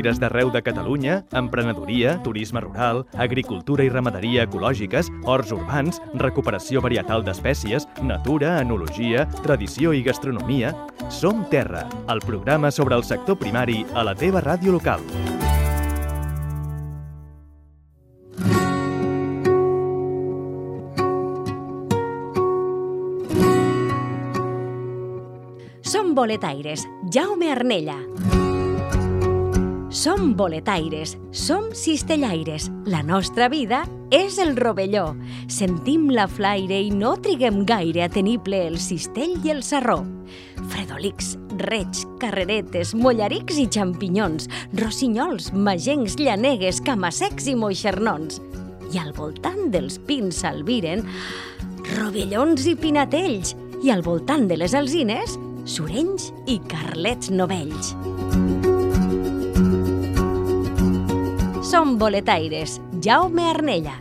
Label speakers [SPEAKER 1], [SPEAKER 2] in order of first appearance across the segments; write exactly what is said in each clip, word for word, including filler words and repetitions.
[SPEAKER 1] fires d'arreu de Catalunya, emprenedoria, turisme rural, agricultura i ramaderia ecològiques, horts urbans, recuperació varietal d'espècies, natura, enologia, tradició i gastronomia. Som Terra, el programa sobre el sector primari a la teva ràdio local.
[SPEAKER 2] Som boletaires, Jaume Arnella. Som boletaires, som cistellaires. La nostra vida és el rovelló. Sentim la flaire i no triguem gaire a tenir ple el cistell i el sarró. Fredolics, reig, carreretes, mollarics i xampinyons, rossinyols, magencs, llanegues, camassecs i moixernons. I al voltant dels pins s'albiren rovellons i pinatells. I al voltant de les alzines, surenys i carlets novells. Som boletaires, Jaume Arnella.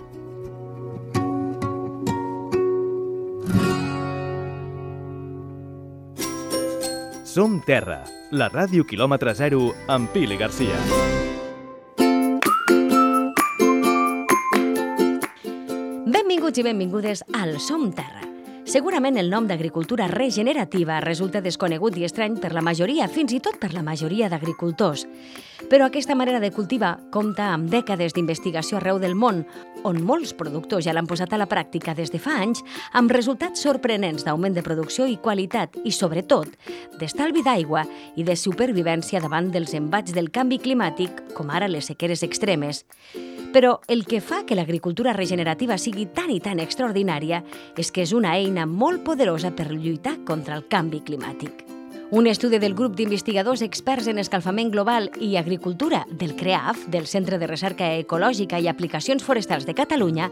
[SPEAKER 1] Som Terra, la ràdio quilòmetre zero amb Pili Garcia.
[SPEAKER 2] Benvinguts i benvingudes al Som Terra. Segurament el nom d'agricultura regenerativa resulta desconegut i estrany per la majoria, fins i tot per la majoria d'agricultors. Però aquesta manera de cultivar compta amb dècades d'investigació arreu del món, on molts productors ja l'han posat a la pràctica des de fa anys, amb resultats sorprenents d'augment de producció i qualitat i, sobretot, d'estalvi d'aigua i de supervivència davant dels embats del canvi climàtic, com ara les sequeres extremes. Però el que fa que l'agricultura regenerativa sigui tan i tan extraordinària és que és una eina molt poderosa per lluitar contra el canvi climàtic. Un estudi del grup d'investigadors experts en escalfament global i agricultura del CREAF, del Centre de Recerca Ecològica i Aplicacions Forestals de Catalunya,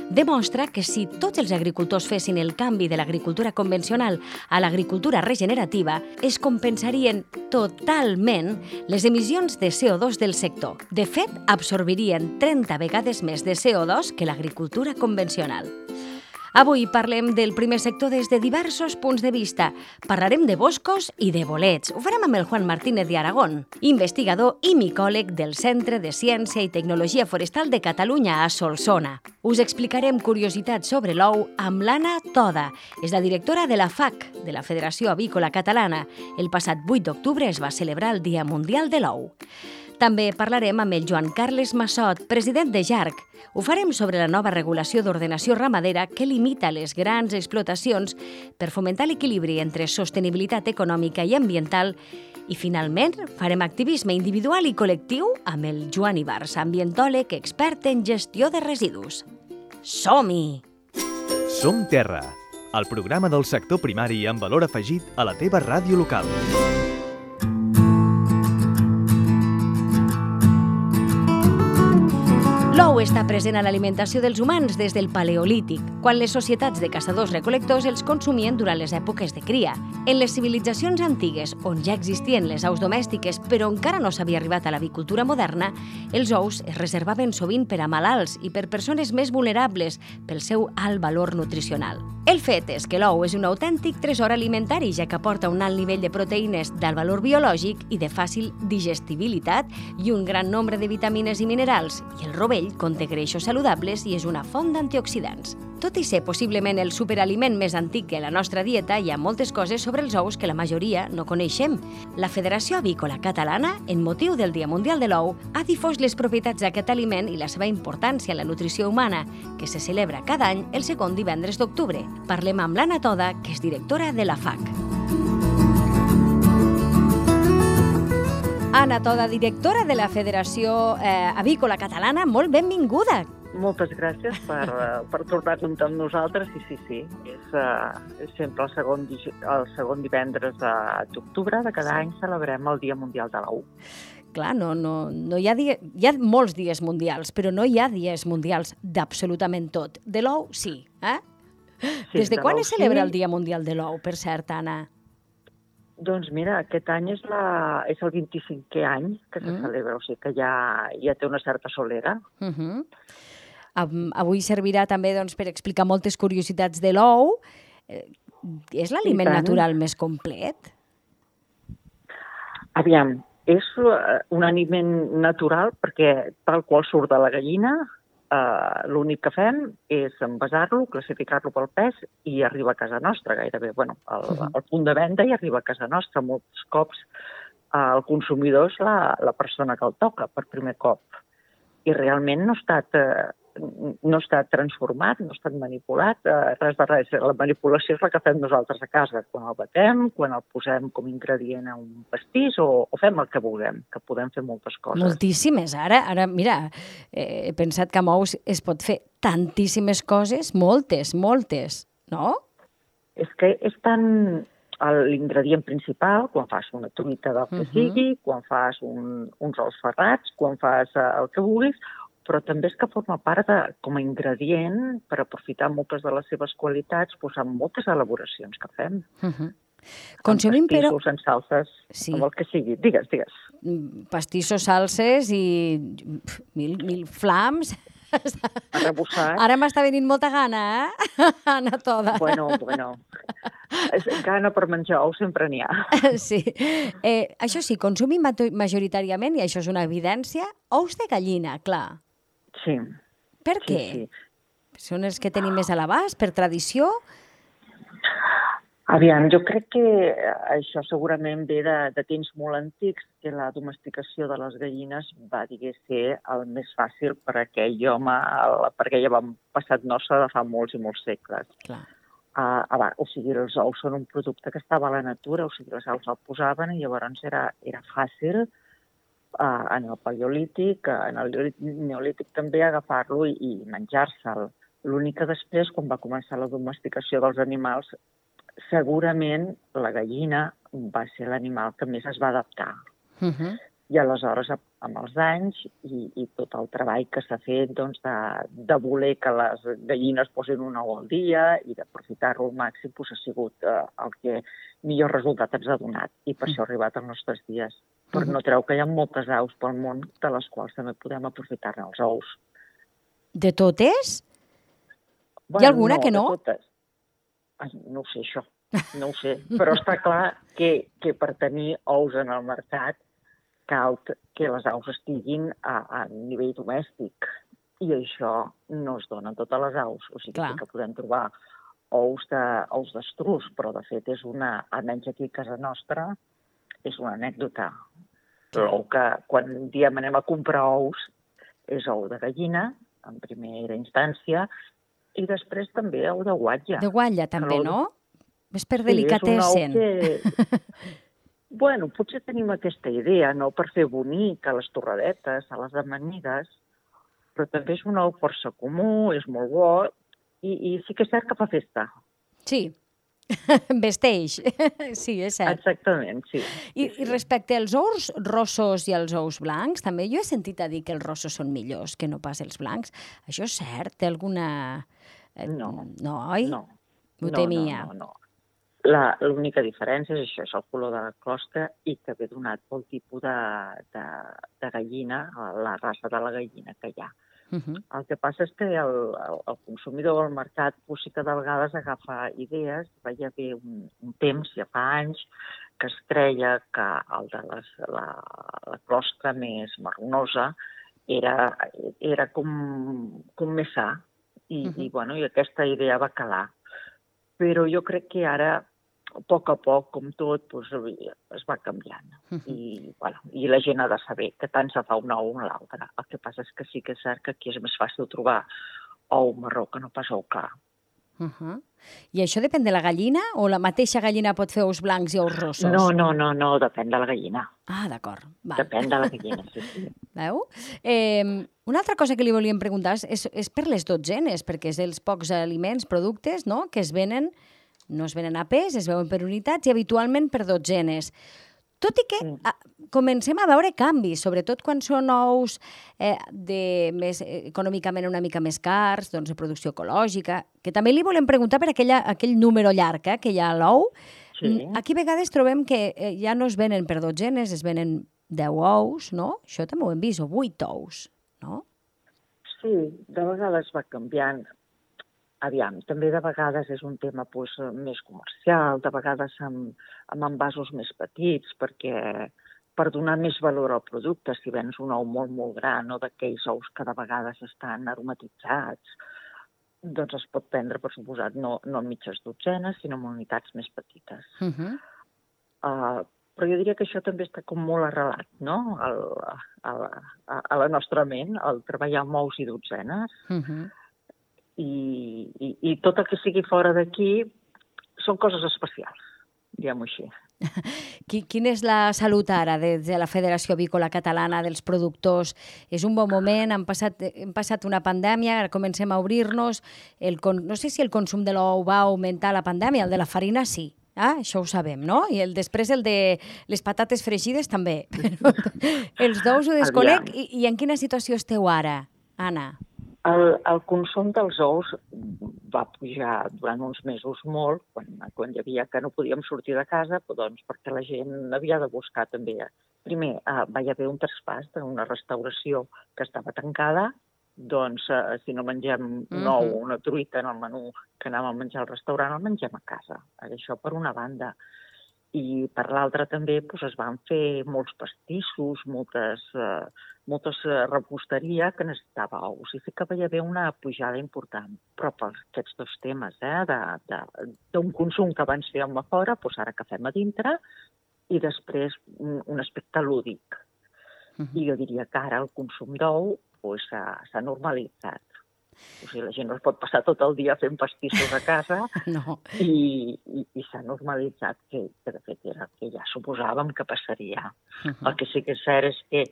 [SPEAKER 2] demostra que si tots els agricultors fessin el canvi de l'agricultura convencional a l'agricultura regenerativa, es compensarien totalment les emissions de C O dos del sector. De fet, absorbirien trenta vegades més de C O dos que l'agricultura convencional. Avui parlem del primer sector des de diversos punts de vista. Parlarem de boscos i de bolets. Ho farem amb el Juan Martínez de Aragón, investigador i micòleg del Centre de Ciència i Tecnologia Forestal de Catalunya a Solsona. Us explicarem curiositats sobre l'ou amb l'Anna Toda. És la directora de la F A C, de la Federació Avícola Catalana. El passat vuit d'octubre es va celebrar el Dia Mundial de l'Ou. També parlarem amb el Joan Carles Massot, president de Jarc. Ho farem sobre la nova regulació d'ordenació ramadera que limita les grans explotacions per fomentar l'equilibri entre sostenibilitat econòmica i ambiental. I, finalment, farem activisme individual i col·lectiu amb el Joan Ibars, ambientòleg expert en gestió de residus. Som-hi!
[SPEAKER 1] Som Terra, el programa del sector primari amb valor afegit a la teva ràdio local.
[SPEAKER 2] L'ou està present a l'alimentació dels humans des del Paleolític, quan les societats de caçadors-recol·lectors els consumien durant les èpoques de cria. En les civilitzacions antigues, on ja existien les aus domèstiques però encara no s'havia arribat a l'avicultura moderna, els ous es reservaven sovint per a malalts i per persones més vulnerables pel seu alt valor nutricional. El fet és que l'ou és un autèntic tresor alimentari, ja que aporta un alt nivell de proteïnes d'alt valor biològic i de fàcil digestibilitat i un gran nombre de vitamines i minerals, i el rovell conté greixos saludables i és una font d'antioxidants. Tot i ser possiblement el superaliment més antic de la nostra dieta, hi ha moltes coses sobre els ous que la majoria no coneixem. La Federació Avícola Catalana, en motiu del Dia Mundial de l'Ou, ha difós les propietats d'aquest aliment i la seva importància en la nutrició humana, que se celebra cada any el segon divendres d'octubre. Parlem amb l'Anna Toda, que és directora de la F A C. Anna Toda, directora de la Federació eh, Avícola Catalana, molt benvinguda.
[SPEAKER 3] Moltes gràcies per, per tornar-nos amb nosaltres. Sí, sí, sí. És, uh, és sempre el segon, el segon divendres d'octubre de cada any celebrem el Dia Mundial de l'Ou.
[SPEAKER 2] Clar, no, no, no hi ha dia, hi ha molts dies mundials, però no hi ha dies mundials d'absolutament tot. De l'ou, sí. Eh? Sí, des de, de quan es celebra sí. el Dia Mundial de l'Ou, per cert, Anna?
[SPEAKER 3] Doncs mira, aquest any és, la, és el vint-i-cinquè any que se mm. celebra, o sigui que ja, ja té una certa solera.
[SPEAKER 2] Uh -huh. Avui servirà també doncs, per explicar moltes curiositats de l'ou. És l'aliment natural més complet?
[SPEAKER 3] Aviam, és un aliment natural perquè tal qual surt de la gallina, eh, l'únic que fem és envasar-lo, classificar-lo pel pes i arriba a casa nostra gairebé. Bueno, al, al punt de venda i arriba a casa nostra. Molts cops eh, el consumidor és la, la persona que el toca per primer cop. I realment no ha estat, eh, no ha estat transformat, no ha estat manipulat, eh, res de res. La manipulació és la que fem nosaltres a casa, quan el batem, quan el posem com a ingredient a un pastís o, o fem el que vulguem, que podem fer moltes coses.
[SPEAKER 2] Moltíssimes. Ara, ara mira, eh, he pensat que amb ous es pot fer tantíssimes coses, moltes, moltes, no?
[SPEAKER 3] És que és tan l'ingredient principal, quan fas una truita del que uh -huh. sigui, quan fas un, uns ous ferrats, quan fas uh, el que vulguis, però també és que forma part de, com a ingredient per aprofitar moltes de les seves qualitats, doncs, en moltes elaboracions que fem.
[SPEAKER 2] Uh -huh. Consumim, però...
[SPEAKER 3] En pastissos, en salses, sí. Amb el que sigui. Digues, digues.
[SPEAKER 2] Pastissos, salses i mil, mil flams...
[SPEAKER 3] Arrebossat.
[SPEAKER 2] Ara m'està venint molta gana, eh? Anar toda.
[SPEAKER 3] Bueno, bueno. Gana per menjar ous sempre n'hi ha.
[SPEAKER 2] Sí. Eh, això sí, consumim majoritàriament, i això és una evidència, ous de gallina, clar.
[SPEAKER 3] Sí.
[SPEAKER 2] Per què?
[SPEAKER 3] Sí, sí.
[SPEAKER 2] Són els que tenim més a l'abast, per tradició?
[SPEAKER 3] Aviam, jo crec que això segurament ve de, de temps molt antics, que la domesticació de les gallines va, digués, ser el més fàcil per aquell home, el, per aquell avantpassat nostre de fa molts i molts segles.
[SPEAKER 2] Clar.
[SPEAKER 3] Uh, abans, o sigui, els ous són un producte que estava a la natura, o sigui, les aus el posaven i llavors era, era fàcil uh, en el paleolític, en el neolític també, agafar-lo i, i menjar-se'l. L'únic que després, quan va començar la domesticació dels animals, segurament la gallina va ser l'animal que més es va adaptar. Uh -huh. I aleshores, amb els anys i, i tot el treball que s'ha fet doncs, de, de voler que les gallines posin un ou al dia i d'aprofitar-lo al màxim, doncs, ha sigut eh, el que millor resultat ens ha donat. I per uh -huh. això ha arribat als nostres dies. Però uh -huh. no treu que hi ha moltes aus pel món de les quals també podem aprofitar-ne els ous.
[SPEAKER 2] De totes?
[SPEAKER 3] Bueno,
[SPEAKER 2] hi ha alguna
[SPEAKER 3] no,
[SPEAKER 2] que no?
[SPEAKER 3] De totes. Ai, no ho sé, això. No ho sé. Però està clar que, que per tenir ous en el mercat cal que les aus estiguin a, a nivell domèstic. I això no es dona a totes les aus. O sigui, sí que podem trobar ous de, ous d'estruç, però de fet és una, almenys aquí a casa nostra, és una anècdota. L'ou que quan diem anem a comprar ous és ou de gallina, en primera instància, i després també ou de guatlla.
[SPEAKER 2] De guatlla també, no? És per
[SPEAKER 3] sí,
[SPEAKER 2] delicatessen.
[SPEAKER 3] És un ou que... Bueno, potser tenim aquesta idea, no?, per fer bonic a les torradetes, a les amanides, però també és un ou força comú, és molt bo, i, i sí que és cert que fa festa.
[SPEAKER 2] Sí, vesteix. Sí, és cert.
[SPEAKER 3] Exactament, sí.
[SPEAKER 2] I, i respecte als ous rossos i als ous blancs, també jo he sentit a dir que els rossos són millors que no pas els blancs. Això és cert? Té alguna...
[SPEAKER 3] No.
[SPEAKER 2] No, oi?
[SPEAKER 3] No.
[SPEAKER 2] Ho
[SPEAKER 3] no,
[SPEAKER 2] temia.
[SPEAKER 3] No, no, no. L'única diferència és això, és el color de la closca i que ve donat pel tipus de, de, de gallina, la raça de la gallina que hi ha. Uh -huh. El que passa és que el, el, el consumidor al mercat pues, sí que de vegades agafa idees. Va hi haver un, un temps, ja fa anys, que es creia que el de les, la, la closca més marronosa era, era com, com més sa. I, uh -huh. i, bueno, i aquesta idea va calar. Però jo crec que ara, a poc a poc, com tot, doncs, es va canviant. Uh-huh. I, bueno, I la gent ha de saber que tant se fa un ou o l'altre. El que passa és que sí que és cert que aquí és més fàcil trobar ou marró que no pas ou clar.
[SPEAKER 2] Uh-huh. I això depèn de la gallina o la mateixa gallina pot fer ous blancs i ous rossos?
[SPEAKER 3] No, no, no, no, depèn de la gallina.
[SPEAKER 2] Ah, d'acord.
[SPEAKER 3] Depèn de la gallina, sí, sí.
[SPEAKER 2] Veu? Eh, una altra cosa que li volíem preguntar és, és per les dotzenes, perquè és dels pocs aliments, productes, no?, que es venen, no es venen a pes, es veuen per unitats i habitualment per dotzenes. Tot i que mm. a, comencem a veure canvis, sobretot quan són ous eh, de més, econòmicament una mica més cars, doncs de producció ecològica, que també li volem preguntar per aquella, aquell número llarg eh, que hi ha a l'ou. Sí. Aquí a vegades trobem que eh, ja no es venen per dotzenes, es venen deu ous, no? Això també ho hem vist, o vuit ous, no?
[SPEAKER 3] Sí, de vegades va canviant. Aviam, també de vegades és un tema pues, més comercial, de vegades amb, amb envasos més petits, perquè per donar més valor al producte. Si vens un ou molt, molt gran o d'aquells ous que de vegades estan aromatitzats, doncs es pot prendre, per suposat, no, no en mitges dotzenes, sinó en unitats més petites. Uh-huh. uh, però jo diria que això també està com molt arrelat, no?, al, a, a, a la nostra ment, el treballar amb ous i dotzenes. Uh-huh. I, i, I tot el que sigui fora d'aquí són coses especials, diguem-ho així.
[SPEAKER 2] Quina és la salut ara des de la Federació Avícola Catalana dels productors? És un bon moment, hem passat, hem passat una pandèmia, ara comencem a obrir-nos, el, no sé si el consum de l'ou va augmentar la pandèmia, el de la farina sí, ah, això ho sabem, no? I el, després el de les patates fregides també. Però els d'ous ho desconec. I, I en quina situació esteu ara, Anna?
[SPEAKER 3] El, el consum dels ous va pujar durant uns mesos molt, quan, quan hi havia que no podíem sortir de casa, doncs perquè la gent havia de buscar també. Primer, eh, va hi haver un traspàs d'una restauració que estava tancada, doncs eh, si no mengem un ou o una truita en el menú que anàvem a menjar al restaurant, el mengem a casa. Això per una banda. I per l'altra també doncs, es van fer molts pastissos, moltes, eh, moltes reposteria que necessitava ous. I sí que va haver una pujada important. Però per aquests dos temes, eh, d'un consum que abans fèiem a fora, doncs ara que fem a dintre, i després un, un aspecte lúdic. Uh-huh. I jo diria que ara el consum d'ou doncs, s'ha normalitzat. O sigui, la gent no es pot passar tot el dia fent pastissos a casa no. i, i, i s'ha normalitzat que, que de fet era que ja suposàvem que passaria. Uh-huh. El que sí que és cert és que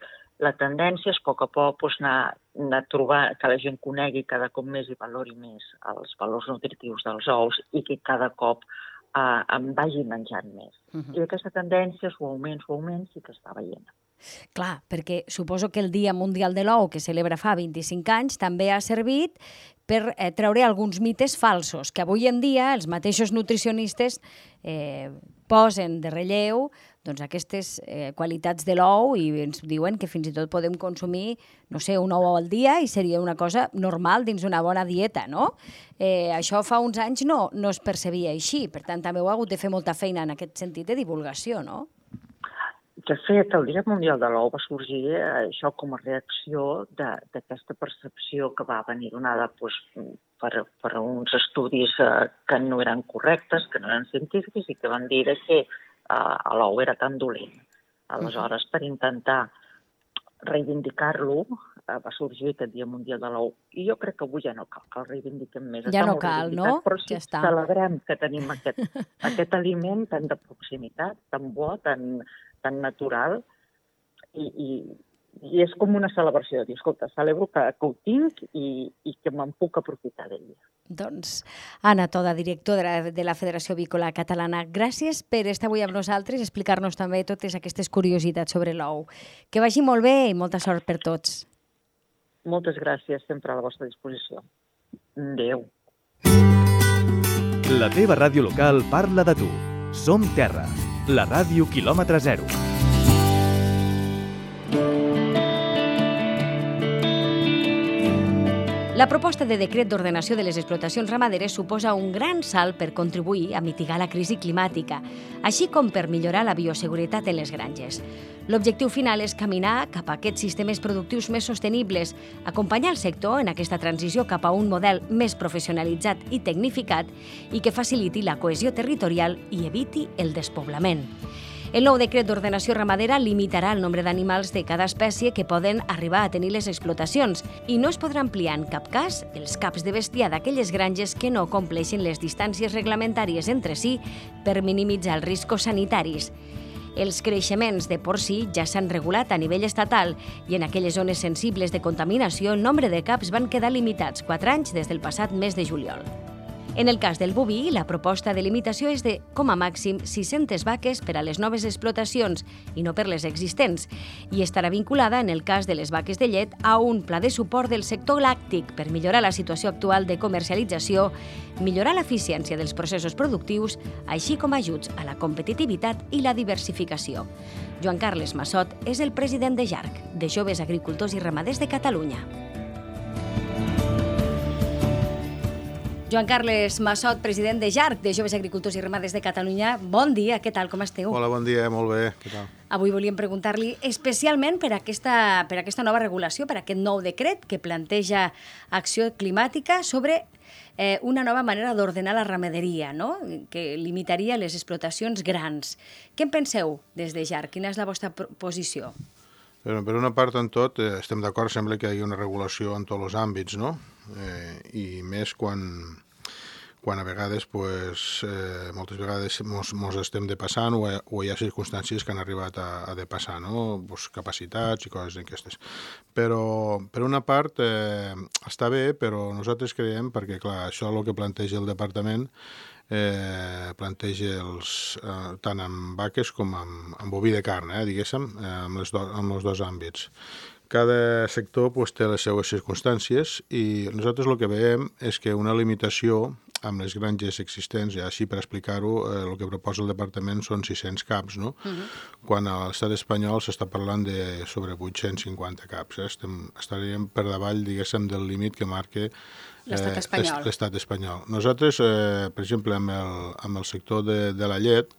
[SPEAKER 3] la tendència és a poc a poc doncs, anar, anar a trobar que la gent conegui cada cop més i valori més els valors nutritius dels ous i que cada cop eh, en vagi menjant més. Uh-huh. I aquesta tendència, suaument, suaument, sí que està veient.
[SPEAKER 2] Clar, perquè suposo que el Dia Mundial de l'Ou, que celebra fa vint-i-cinc anys, també ha servit per eh, treure alguns mites falsos, que avui en dia els mateixos nutricionistes eh, posen de relleu doncs, aquestes eh, qualitats de l'ou i ens diuen que fins i tot podem consumir, no sé, un ou al dia i seria una cosa normal dins una bona dieta, no? Eh, això fa uns anys no, no es percebia així, per tant també heu hagut de fer molta feina en aquest sentit de divulgació, no?
[SPEAKER 3] De fet, el Dia Mundial de l'Ou va sorgir això com a reacció d'aquesta percepció que va venir donada doncs, per, per uns estudis eh, que no eren correctes, que no eren científics i que van dir que eh, l'ou era tan dolent. Aleshores, per intentar reivindicar-lo, eh, va sorgir aquest Dia Mundial de l'Ou. I jo crec que avui ja no cal que el reivindiquem més.
[SPEAKER 2] Ja no cal, no?
[SPEAKER 3] Però sí, ja està. Celebrem que tenim aquest, aquest aliment tan de proximitat, tan bo, tan... tan natural, i, i, i és com una celebració de dir, escolta, celebro que, que ho tinc i, i que me'n puc aprofitar d'ell.
[SPEAKER 2] Doncs, Anna Toda, directora de la, de la Federació Avícola Catalana, gràcies per estar avui amb nosaltres i explicar-nos també totes aquestes curiositats sobre l'ou. Que vagi molt bé i molta sort per tots.
[SPEAKER 3] Moltes gràcies, sempre a la vostra disposició. Adéu.
[SPEAKER 1] La teva ràdio local parla de tu. Som Terra. La ràdio quilòmetre zero.
[SPEAKER 2] La proposta de decret d'ordenació de les explotacions ramaderes suposa un gran salt per contribuir a mitigar la crisi climàtica, així com per millorar la bioseguretat en les granges. L'objectiu final és caminar cap a aquests sistemes productius més sostenibles, acompanyar el sector en aquesta transició cap a un model més professionalitzat i tecnificat i que faciliti la cohesió territorial i eviti el despoblament. El nou decret d'ordenació ramadera limitarà el nombre d'animals de cada espècie que poden arribar a tenir les explotacions i no es podrà ampliar en cap cas els caps de bestiar d'aquelles granges que no compleixin les distàncies reglamentàries entre si per minimitzar els riscos sanitaris. Els creixements de porcí ja s'han regulat a nivell estatal i en aquelles zones sensibles de contaminació el nombre de caps van quedar limitats quatre anys des del passat mes de juliol. En el cas del boví, la proposta de limitació és de, com a màxim, sis-centes vaques per a les noves explotacions i no per les existents, i estarà vinculada, en el cas de les vaques de llet, a un pla de suport del sector làctic per millorar la situació actual de comercialització, millorar l'eficiència dels processos productius, així com ajuts a la competitivitat i la diversificació. Joan Carles Massot és el president de J A R C, de Joves Agricultors i Ramaders de Catalunya. Joan Carles Massot, president de J A R C, de Joves Agricultors i Ramaders de Catalunya. Bon dia, què tal, com esteu?
[SPEAKER 4] Hola, bon dia, molt bé, què tal?
[SPEAKER 2] Avui volíem preguntar-li especialment per aquesta, per aquesta nova regulació, per aquest nou decret que planteja Acció Climàtica sobre eh, una nova manera d'ordenar la ramaderia, no? Que limitaria les explotacions grans. Què en penseu des de J A R C? Quina és la vostra posició?
[SPEAKER 4] Per, per una part, en tot, eh, estem d'acord, sembla que hi hagi una regulació en tots els àmbits, no? Eh, I més quan, quan a vegades, pues, eh, moltes vegades mos, mos estem depassant o, o hi ha circumstàncies que han arribat a, a depassar, no? Pues, capacitats i coses d'aquestes. Però, per una part, eh, està bé, però nosaltres creiem, perquè, clar, això és el que planteja el departament, eh, planteja els, eh, tant amb vaques com amb, amb boví de carn, eh, diguéssim, eh, amb, les do, amb els dos àmbits. Cada sector pues, té les seues circumstàncies i nosaltres el que veiem és que una limitació amb les granges existents, ja així per explicar-ho, eh, el que proposa el departament són sis-cents caps, no? Uh-huh. Quan a l'estat espanyol s'està parlant de sobre vuit-cents cinquanta caps. Eh? Estem, estaríem per davall, diguéssim, del límit que marca
[SPEAKER 2] l'estat espanyol.
[SPEAKER 4] Eh, l'estat espanyol. Nosaltres, eh, per exemple, amb el, amb el sector de, de la llet,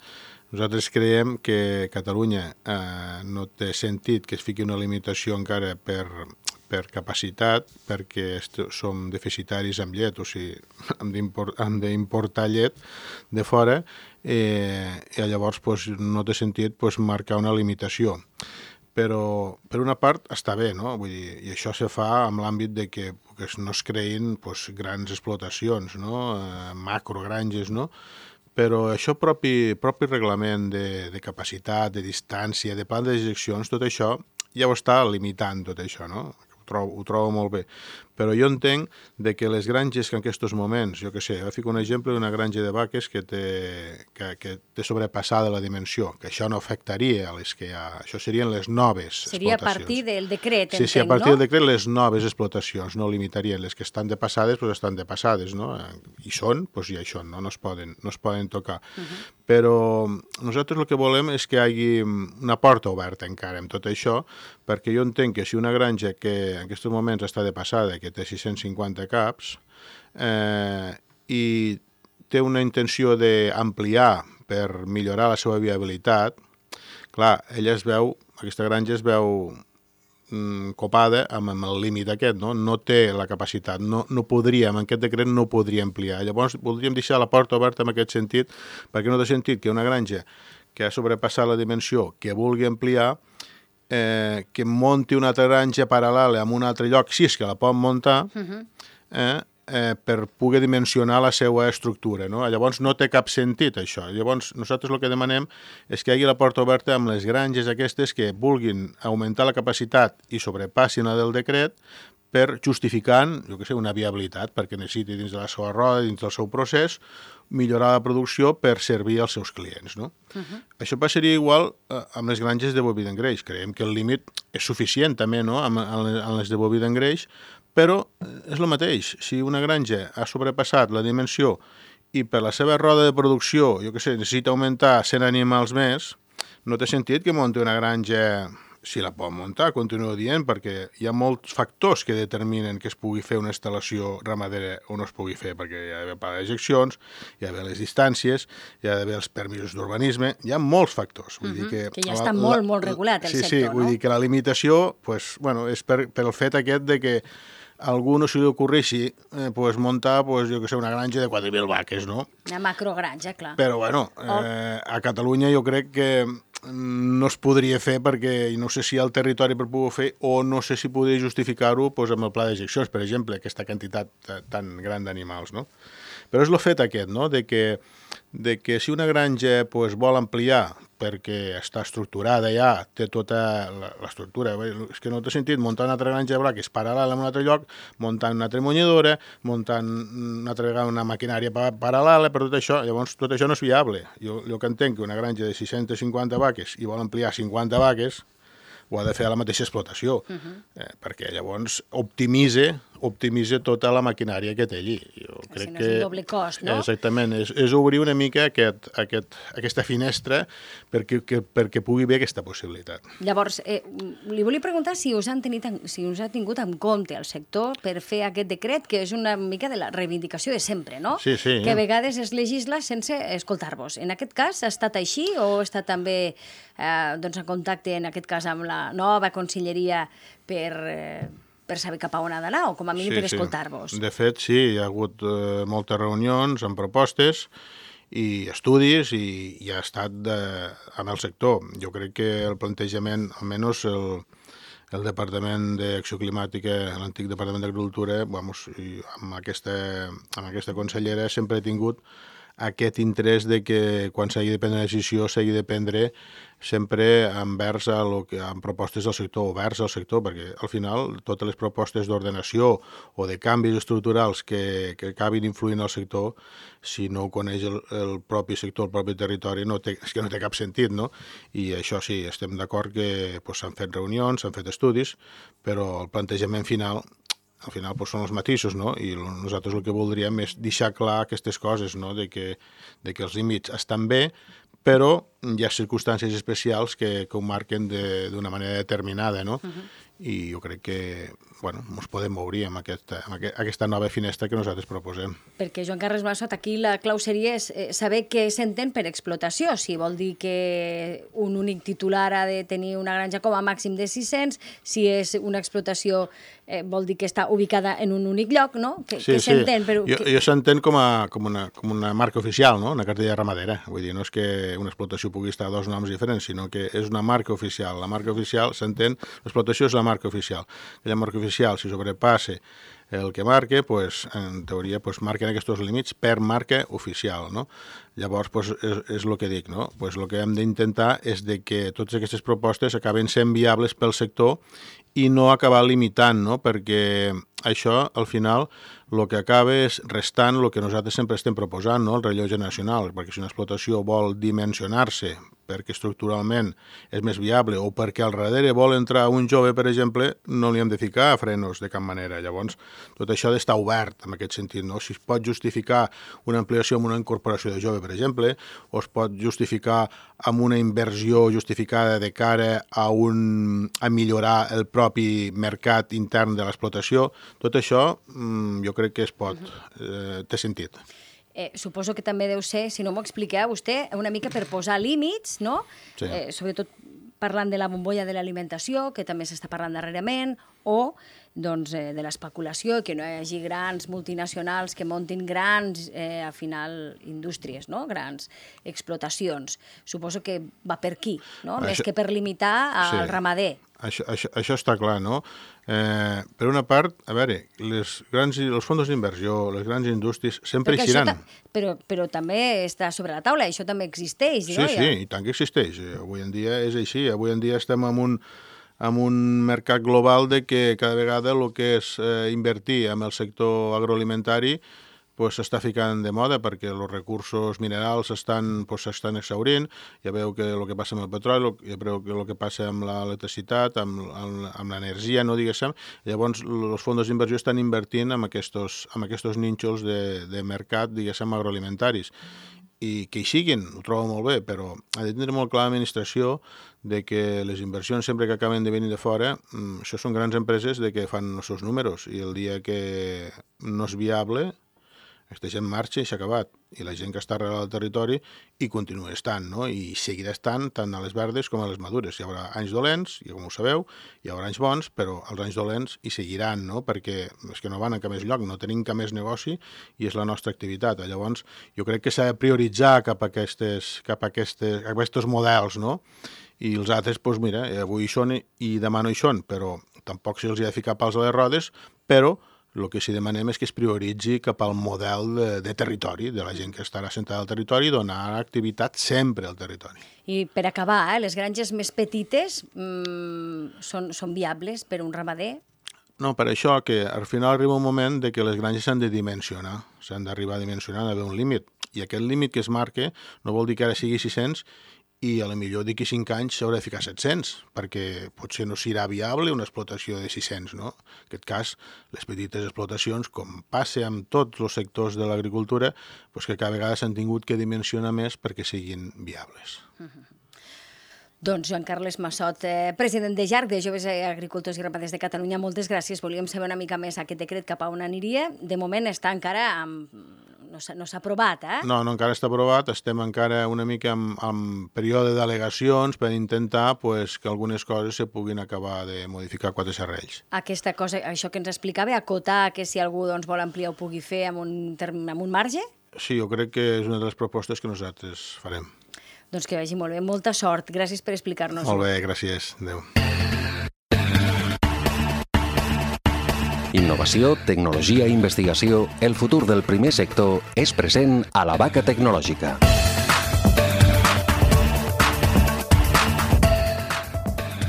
[SPEAKER 4] nosaltres creiem que Catalunya eh, no té sentit que es fiqui una limitació encara per, per capacitat, perquè som deficitaris amb llet, o sigui, hem d'importar llet de fora, eh, i llavors pues, no té sentit pues, marcar una limitació. Però, per una part, està bé, no? Vull dir, i això se fa amb l'àmbit de que, que no es creïn pues, grans explotacions, no? Eh, macrogranges, no? Però això propi, propi reglament de, de capacitat, de distància, de plan de dejeccions, tot això ja ho està limitant, tot això, no? Ho trobo, ho trobo molt bé. Però jo entenc de que les granges que en aquests moments, jo què sé, jo fico un exemple d'una granja de vaques que té, que, que té sobrepassada la dimensió, que això no afectaria a les que hi ha, això serien les noves
[SPEAKER 2] Seria
[SPEAKER 4] explotacions. Seria
[SPEAKER 2] a partir del decret,
[SPEAKER 4] sí,
[SPEAKER 2] entenc,
[SPEAKER 4] sí, a partir
[SPEAKER 2] no?
[SPEAKER 4] del decret les noves explotacions, no limitarien. Les que estan depassades, doncs estan depassades, no? I són, doncs ja hi són, no? No es poden, no es poden tocar. Uh-huh. Però nosaltres el que volem és que hi hagi una porta oberta encara amb tot això, perquè jo entenc que si una granja que en aquests moments està depassada, que té sis-cents cinquanta caps, eh, i té una intenció d'ampliar per millorar la seva viabilitat, clar, ella es veu, aquesta granja es veu mm, copada amb, amb el límit aquest, no? No té la capacitat, no, no podríem, en aquest decret no podria ampliar. Llavors, voldríem deixar la porta oberta en aquest sentit, perquè no té sentit que una granja que ha sobrepassat la dimensió, que vulgui ampliar, Eh, que monti una altra granja paral·lela en un altre lloc, si és que la pot muntar, uh-huh. eh, eh, per poder dimensionar la seva estructura, no? Llavors no té cap sentit això. Llavors nosaltres el que demanem és que hi hagi la porta oberta amb les granges aquestes que vulguin augmentar la capacitat i sobrepassin la del decret per justificant, jo què sé, una viabilitat, perquè necessiti dins de la seva roda, dins del seu procés, millorar la producció per servir als seus clients, no? Uh-huh. Això passaria igual eh, amb les granges de boví d'engreix. Creiem que el límit és suficient també, no?, amb, amb les de boví d'engreix, però és el mateix. Si una granja ha sobrepassat la dimensió i per la seva roda de producció, jo què sé, necessita augmentar cent animals més, no té sentit que munti una granja... Si la pot muntar, continuo dient, perquè hi ha molts factors que determinen que es pugui fer una instal·lació ramadera o no es pugui fer, perquè hi ha d'haver pla d'ejeccions, hi ha d'haver les distàncies, hi ha d'haver els permisos d'urbanisme, hi ha molts factors. Vull
[SPEAKER 2] uh-huh.
[SPEAKER 4] dir que,
[SPEAKER 2] que ja està la, molt, molt regulat el
[SPEAKER 4] sí,
[SPEAKER 2] sector,
[SPEAKER 4] sí,
[SPEAKER 2] no?
[SPEAKER 4] Vull dir que la limitació pues, bueno, és per, per el fet aquest de que a algú no se li ocorreixi eh, pues, muntar pues, jo que sé, una granja de quatre mil vaques, no?
[SPEAKER 2] Una macrogranja, clar.
[SPEAKER 4] Però, bueno, eh, a Catalunya jo crec que no es podria fer perquè no sé si hi ha el territori per poder fer o no sé si podria justificar-ho pues, amb el pla d'ejeccions, per exemple, aquesta quantitat tan gran d'animals, no? Però és el fet aquest, no?, de que, de que si una granja pues, vol ampliar perquè està estructurada ja, té tota l'estructura, és que no té sentit muntar una altra granja de braques paral·lela en un altre lloc, muntant una altra munyedora, muntant una altra vegada una maquinària paral·lela, per tot això, llavors tot això no és viable. Jo, jo que entenc que una granja de sis-cents cinquanta vaques i vol ampliar cinquanta vaques, ho ha de fer a la mateixa explotació, uh-huh. eh, perquè llavors optimitza optimitza tota la maquinària que té allí. Jo crec
[SPEAKER 2] si no
[SPEAKER 4] que...
[SPEAKER 2] és un doble cost, no?
[SPEAKER 4] Exactament, és, és obrir una mica aquest, aquest, aquesta finestra perquè, que, perquè pugui haver aquesta possibilitat.
[SPEAKER 2] Llavors, eh, li volia preguntar si us, han tenit, si us ha tingut en compte el sector per fer aquest decret, que és una mica de la reivindicació de sempre, no?
[SPEAKER 4] Sí, sí.
[SPEAKER 2] Que a vegades es legisla sense escoltar-vos. En aquest cas ha estat així o ha estat també eh, doncs, en contacte, en aquest cas, amb la nova conselleria per... Eh, per saber cap a on ha d'anar, o com a mínim
[SPEAKER 4] sí,
[SPEAKER 2] per
[SPEAKER 4] sí.
[SPEAKER 2] escoltar-vos.
[SPEAKER 4] De fet, sí, hi ha hagut eh, moltes reunions amb propostes i estudis i, i ha estat de, amb el sector. Jo crec que el plantejament, almenys el, el Departament d'Acció Climàtica, l'antic Departament d'Agricultura, vamos, i amb, aquesta, amb aquesta consellera sempre he tingut aquest interès de que quan s'hagi de prendre una decisió s'hagi de prendre sempre envers a lo que, amb propostes del sector, oberts al sector, perquè al final totes les propostes d'ordenació o de canvis estructurals que, que acabin influint al sector, si no ho coneix el, el propi sector, el propi territori, no té, és que no té cap sentit, no? I això sí, estem d'acord que pues, s'han fet reunions, s'han fet estudis, però el plantejament final al final pues, són els matisos, no? I nosaltres el que voldríem és deixar clar aquestes coses, no? De que, de que els límits estan bé, però hi ha circumstàncies especials que, que ho marquen d'una manera determinada, no? Uh-huh. I jo crec que, bueno, ens podem obrir amb aquesta, amb aquesta nova finestra que nosaltres proposem.
[SPEAKER 2] Perquè, Joan Carles Massot, aquí la clau seria és, eh, saber què s'entén per explotació, si vol dir que un únic titular ha de tenir una granja com a màxim de sis-cents, si és una explotació eh, vol dir que està ubicada en un únic lloc, no? Que,
[SPEAKER 4] sí,
[SPEAKER 2] que
[SPEAKER 4] sí.
[SPEAKER 2] s'entén? Però
[SPEAKER 4] jo
[SPEAKER 2] que...
[SPEAKER 4] jo s'entén com, a, com, una, com una marca oficial, no? Una cartella ramadera. Vull dir, no és que una explotació pugui estar a dos noms diferents, sinó que és una marca oficial. La marca oficial s'entén, l'explotació és la marca oficial. Aquella marca oficial, si sobrepassa el que marca, pues, en teoria pues, marquen aquests límits per marca oficial, no? Llavors, pues, és, és el que dic, no? Pues, el que hem d'intentar és de que totes aquestes propostes acaben sent viables pel sector i no acabar limitant, no? Perquè això, al final, el que acaba és restant el que nosaltres sempre estem proposant, no? El relleu generacional, perquè si una explotació vol dimensionar-se perquè estructuralment és més viable o perquè al darrere vol entrar un jove, per exemple, no li hem de ficar frenos de cap manera. Llavors, tot això ha d'estar obert en aquest sentit, no? Si es pot justificar una ampliació amb una incorporació de jove, per exemple, o es pot justificar amb una inversió justificada de cara a, un, a millorar el propi mercat intern de l'explotació, tot això jo crec que es pot, eh, té sentit.
[SPEAKER 2] Eh, suposo que també deu ser, si no m'ho expliqueu vostè, una mica per posar límits, no?
[SPEAKER 4] Sí.
[SPEAKER 2] Eh, sobretot parlant de la bombolla de l'alimentació, que també s'està parlant darrerament, o doncs, eh, de l'especulació, que no hi hagi grans multinacionals que muntin grans, eh, al final, indústries, no? Grans explotacions. Suposo que va per aquí, no? Això... Més que per limitar al sí. ramader.
[SPEAKER 4] Això, això, això està clar, no? Eh, per una part, a veure, les grans, els fons d'inversió, les grans indústries sempre
[SPEAKER 2] Perquè
[SPEAKER 4] eixiran.
[SPEAKER 2] Però, però també està sobre la taula, això també existeix,
[SPEAKER 4] sí,
[SPEAKER 2] no?
[SPEAKER 4] Sí, sí, i tant que existeix. Avui en dia és així. Avui en dia estem en un, en un mercat global de que cada vegada el que és eh, invertir en el sector agroalimentari pues, s'està ficant de moda perquè els recursos minerals s'estan pues, exhaurint, ja veu que el que passa amb el petroli, ja veu que el que passa amb l'electricitat, amb, amb, amb l'energia, no diguéssim, llavors els fons d'inversió estan invertint en aquests, en aquests nínxols de, de mercat, diguéssim, agroalimentaris. I que hi siguin, ho trobo molt bé, però ha de tenir molt clar l'administració de que les inversions sempre que acaben de venir de fora, això són grans empreses de que fan els seus números i el dia que no és viable aquesta gent marxa i s'ha acabat. I la gent que està arrel al territori hi continua estant, no? I seguirà estant tant a les verdes com a les madures. Hi haurà anys dolents, i com ho sabeu, hi haurà anys bons, però els anys dolents hi seguiran, no? Perquè és que no van a cap més lloc, no tenim cap més negoci i és la nostra activitat. Llavors, jo crec que s'ha de prioritzar cap a aquestes, cap a aquestes, a aquests models, no? I els altres, doncs mira, avui hi són i demà no hi són, però tampoc se'ls ha de ficar pals a les rodes, però el que sí demanem és que es prioritzi cap al model de, de territori, de la gent que estarà sentada al territori i donar activitat sempre al territori.
[SPEAKER 2] I per acabar, eh, les granges més petites mmm, són, són viables per un ramader?
[SPEAKER 4] No, per això que al final arriba un moment de que les granges s'han de dimensionar, s'han d'arribar a dimensionar, d'haver un límit. I aquest límit que es marca no vol dir que ara sigui sis-cents i a la millor d'aquí cinc anys s'haurà de ficar set-cents, perquè potser no serà viable una explotació de sis-cents, no? En aquest cas, les petites explotacions, com passa amb tots els sectors de l'agricultura, doncs que cada vegada s'han tingut que dimensionar més perquè siguin viables.
[SPEAKER 2] Uh-huh. Doncs Joan Carles Massot, eh, president de J A R C, de Joves Agricultors i Ramaders de Catalunya, moltes gràcies. Volíem saber una mica més aquest decret cap a on aniria. De moment està encara amb... no s'ha no aprovat, eh?
[SPEAKER 4] No, no, encara està aprovat. Estem encara una mica en, en període d'al·legacions per intentar pues, que algunes coses se puguin acabar de modificar quatre serrells.
[SPEAKER 2] Aquesta cosa, això que ens explicava, acotar que si algú doncs, vol ampliar ho pugui fer amb un, term, amb un marge?
[SPEAKER 4] Sí, jo crec que és una de les propostes que nosaltres farem.
[SPEAKER 2] Doncs que vagi molt bé. Molta sort. Gràcies per explicar-nos-ho.
[SPEAKER 4] Molt bé, gràcies. Adéu.
[SPEAKER 5] Innovació, tecnologia i investigació, el futur del primer sector és present a la Vaca Tecnològica.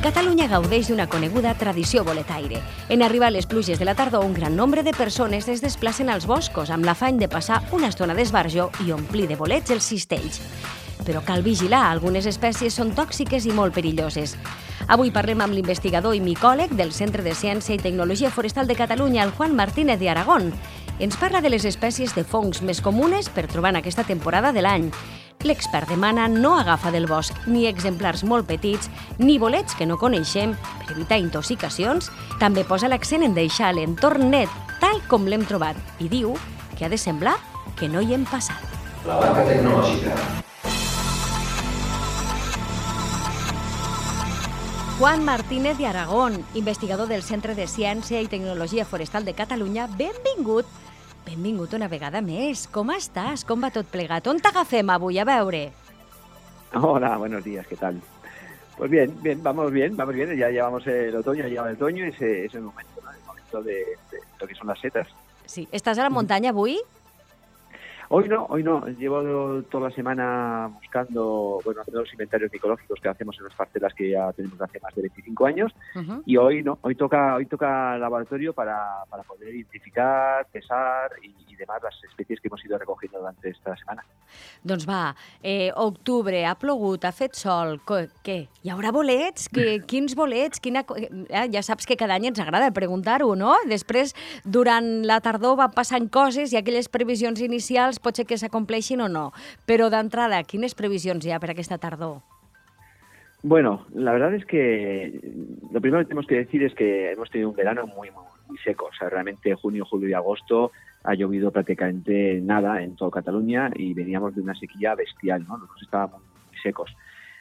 [SPEAKER 2] Catalunya gaudeix d'una coneguda tradició boletaire. En arribar les pluges de la tardor, un gran nombre de persones es desplacen als boscos amb l'afany de passar una estona d'esbarjo i omplir de bolets els cistells. Però cal vigilar, algunes espècies són tòxiques i molt perilloses. Avui parlem amb l'investigador i micòleg del Centre de Ciència i Tecnologia Forestal de Catalunya, el Juan Martínez de Aragón. Ens parla de les espècies de fongs més comunes per trobar en aquesta temporada de l'any. L'expert demana no agafar del bosc ni exemplars molt petits ni bolets que no coneixem per evitar intoxicacions. També posa l'accent en deixar l'entorn net tal com l'hem trobat i diu que ha de semblar que no hi hem passat.
[SPEAKER 5] La Vaca Tecnològica.
[SPEAKER 2] Juan Martínez de Aragón, investigador del Centre de Ciència i Tecnologia Forestal de Catalunya, benvingut. Benvingut una vegada més. Com estàs? Com va tot plegat? On t'agafem avui? A veure.
[SPEAKER 6] Hola, buenos días, ¿qué tal? Pues bien, bien, vamos bien, vamos bien. Ya llevamos el otoño, ya lleva el otoño y ese es el momento, ¿no? El momento de, de lo que son las setas.
[SPEAKER 2] Sí. ¿Estàs a la muntanya avui?
[SPEAKER 6] Hoy no, hoy no. Llevo toda la semana buscando, bueno, haciendo los inventarios micológicos que hacemos en las parcelas que ya tenemos hace más de veinticinco años. Uh-huh. Y hoy no, hoy toca, hoy toca laboratorio para, para poder identificar, pesar y, y demás las especies que hemos ido recogiendo durante esta semana.
[SPEAKER 2] Doncs va, eh, octubre, ha plogut, ha fet sol, què? Hi haurà bolets? Que, quins bolets? Quina... Eh, ja saps que cada any ens agrada preguntar-ho, no? Després, durant la tardor van passant coses i aquelles previsions inicials pot ser que s'acompleixin o no. Però d'entrada, quines previsions hi ha per aquesta tardor?
[SPEAKER 6] Bueno, la verdad es que lo primero que tenemos que decir es que hemos tenido un verano muy, muy, muy seco. O sea, realmente junio, julio y agosto ha llovido prácticamente nada en toda Cataluña y veníamos de una sequía bestial, ¿no? Nosotros estábamos muy secos.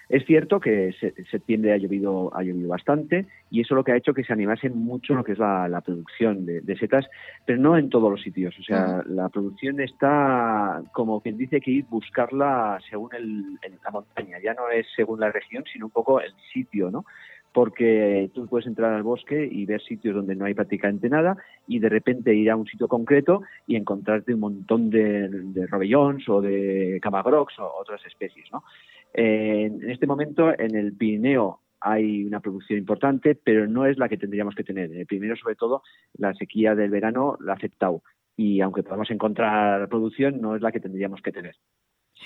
[SPEAKER 6] Es cierto que en septiembre ha llovido, ha llovido bastante y eso lo que ha hecho que se animase mucho lo que es la, la producción de, de setas, pero no en todos los sitios. O sea, uh-huh. La producción está como quien dice que ir buscarla según el, el, la montaña. Ya no es según la región, sino un poco el sitio, ¿no? Porque tú puedes entrar al bosque y ver sitios donde no hay prácticamente nada y de repente ir a un sitio concreto y encontrarte un montón de, de robellons o de camagrocs o otras especies, ¿no? Eh, en este momento en el Pirineo hay una producción importante, pero no es la que tendríamos que tener. En el Pirineo, sobre todo, la sequía del verano la ha afectado y aunque podamos encontrar producción, no es la que tendríamos que tener.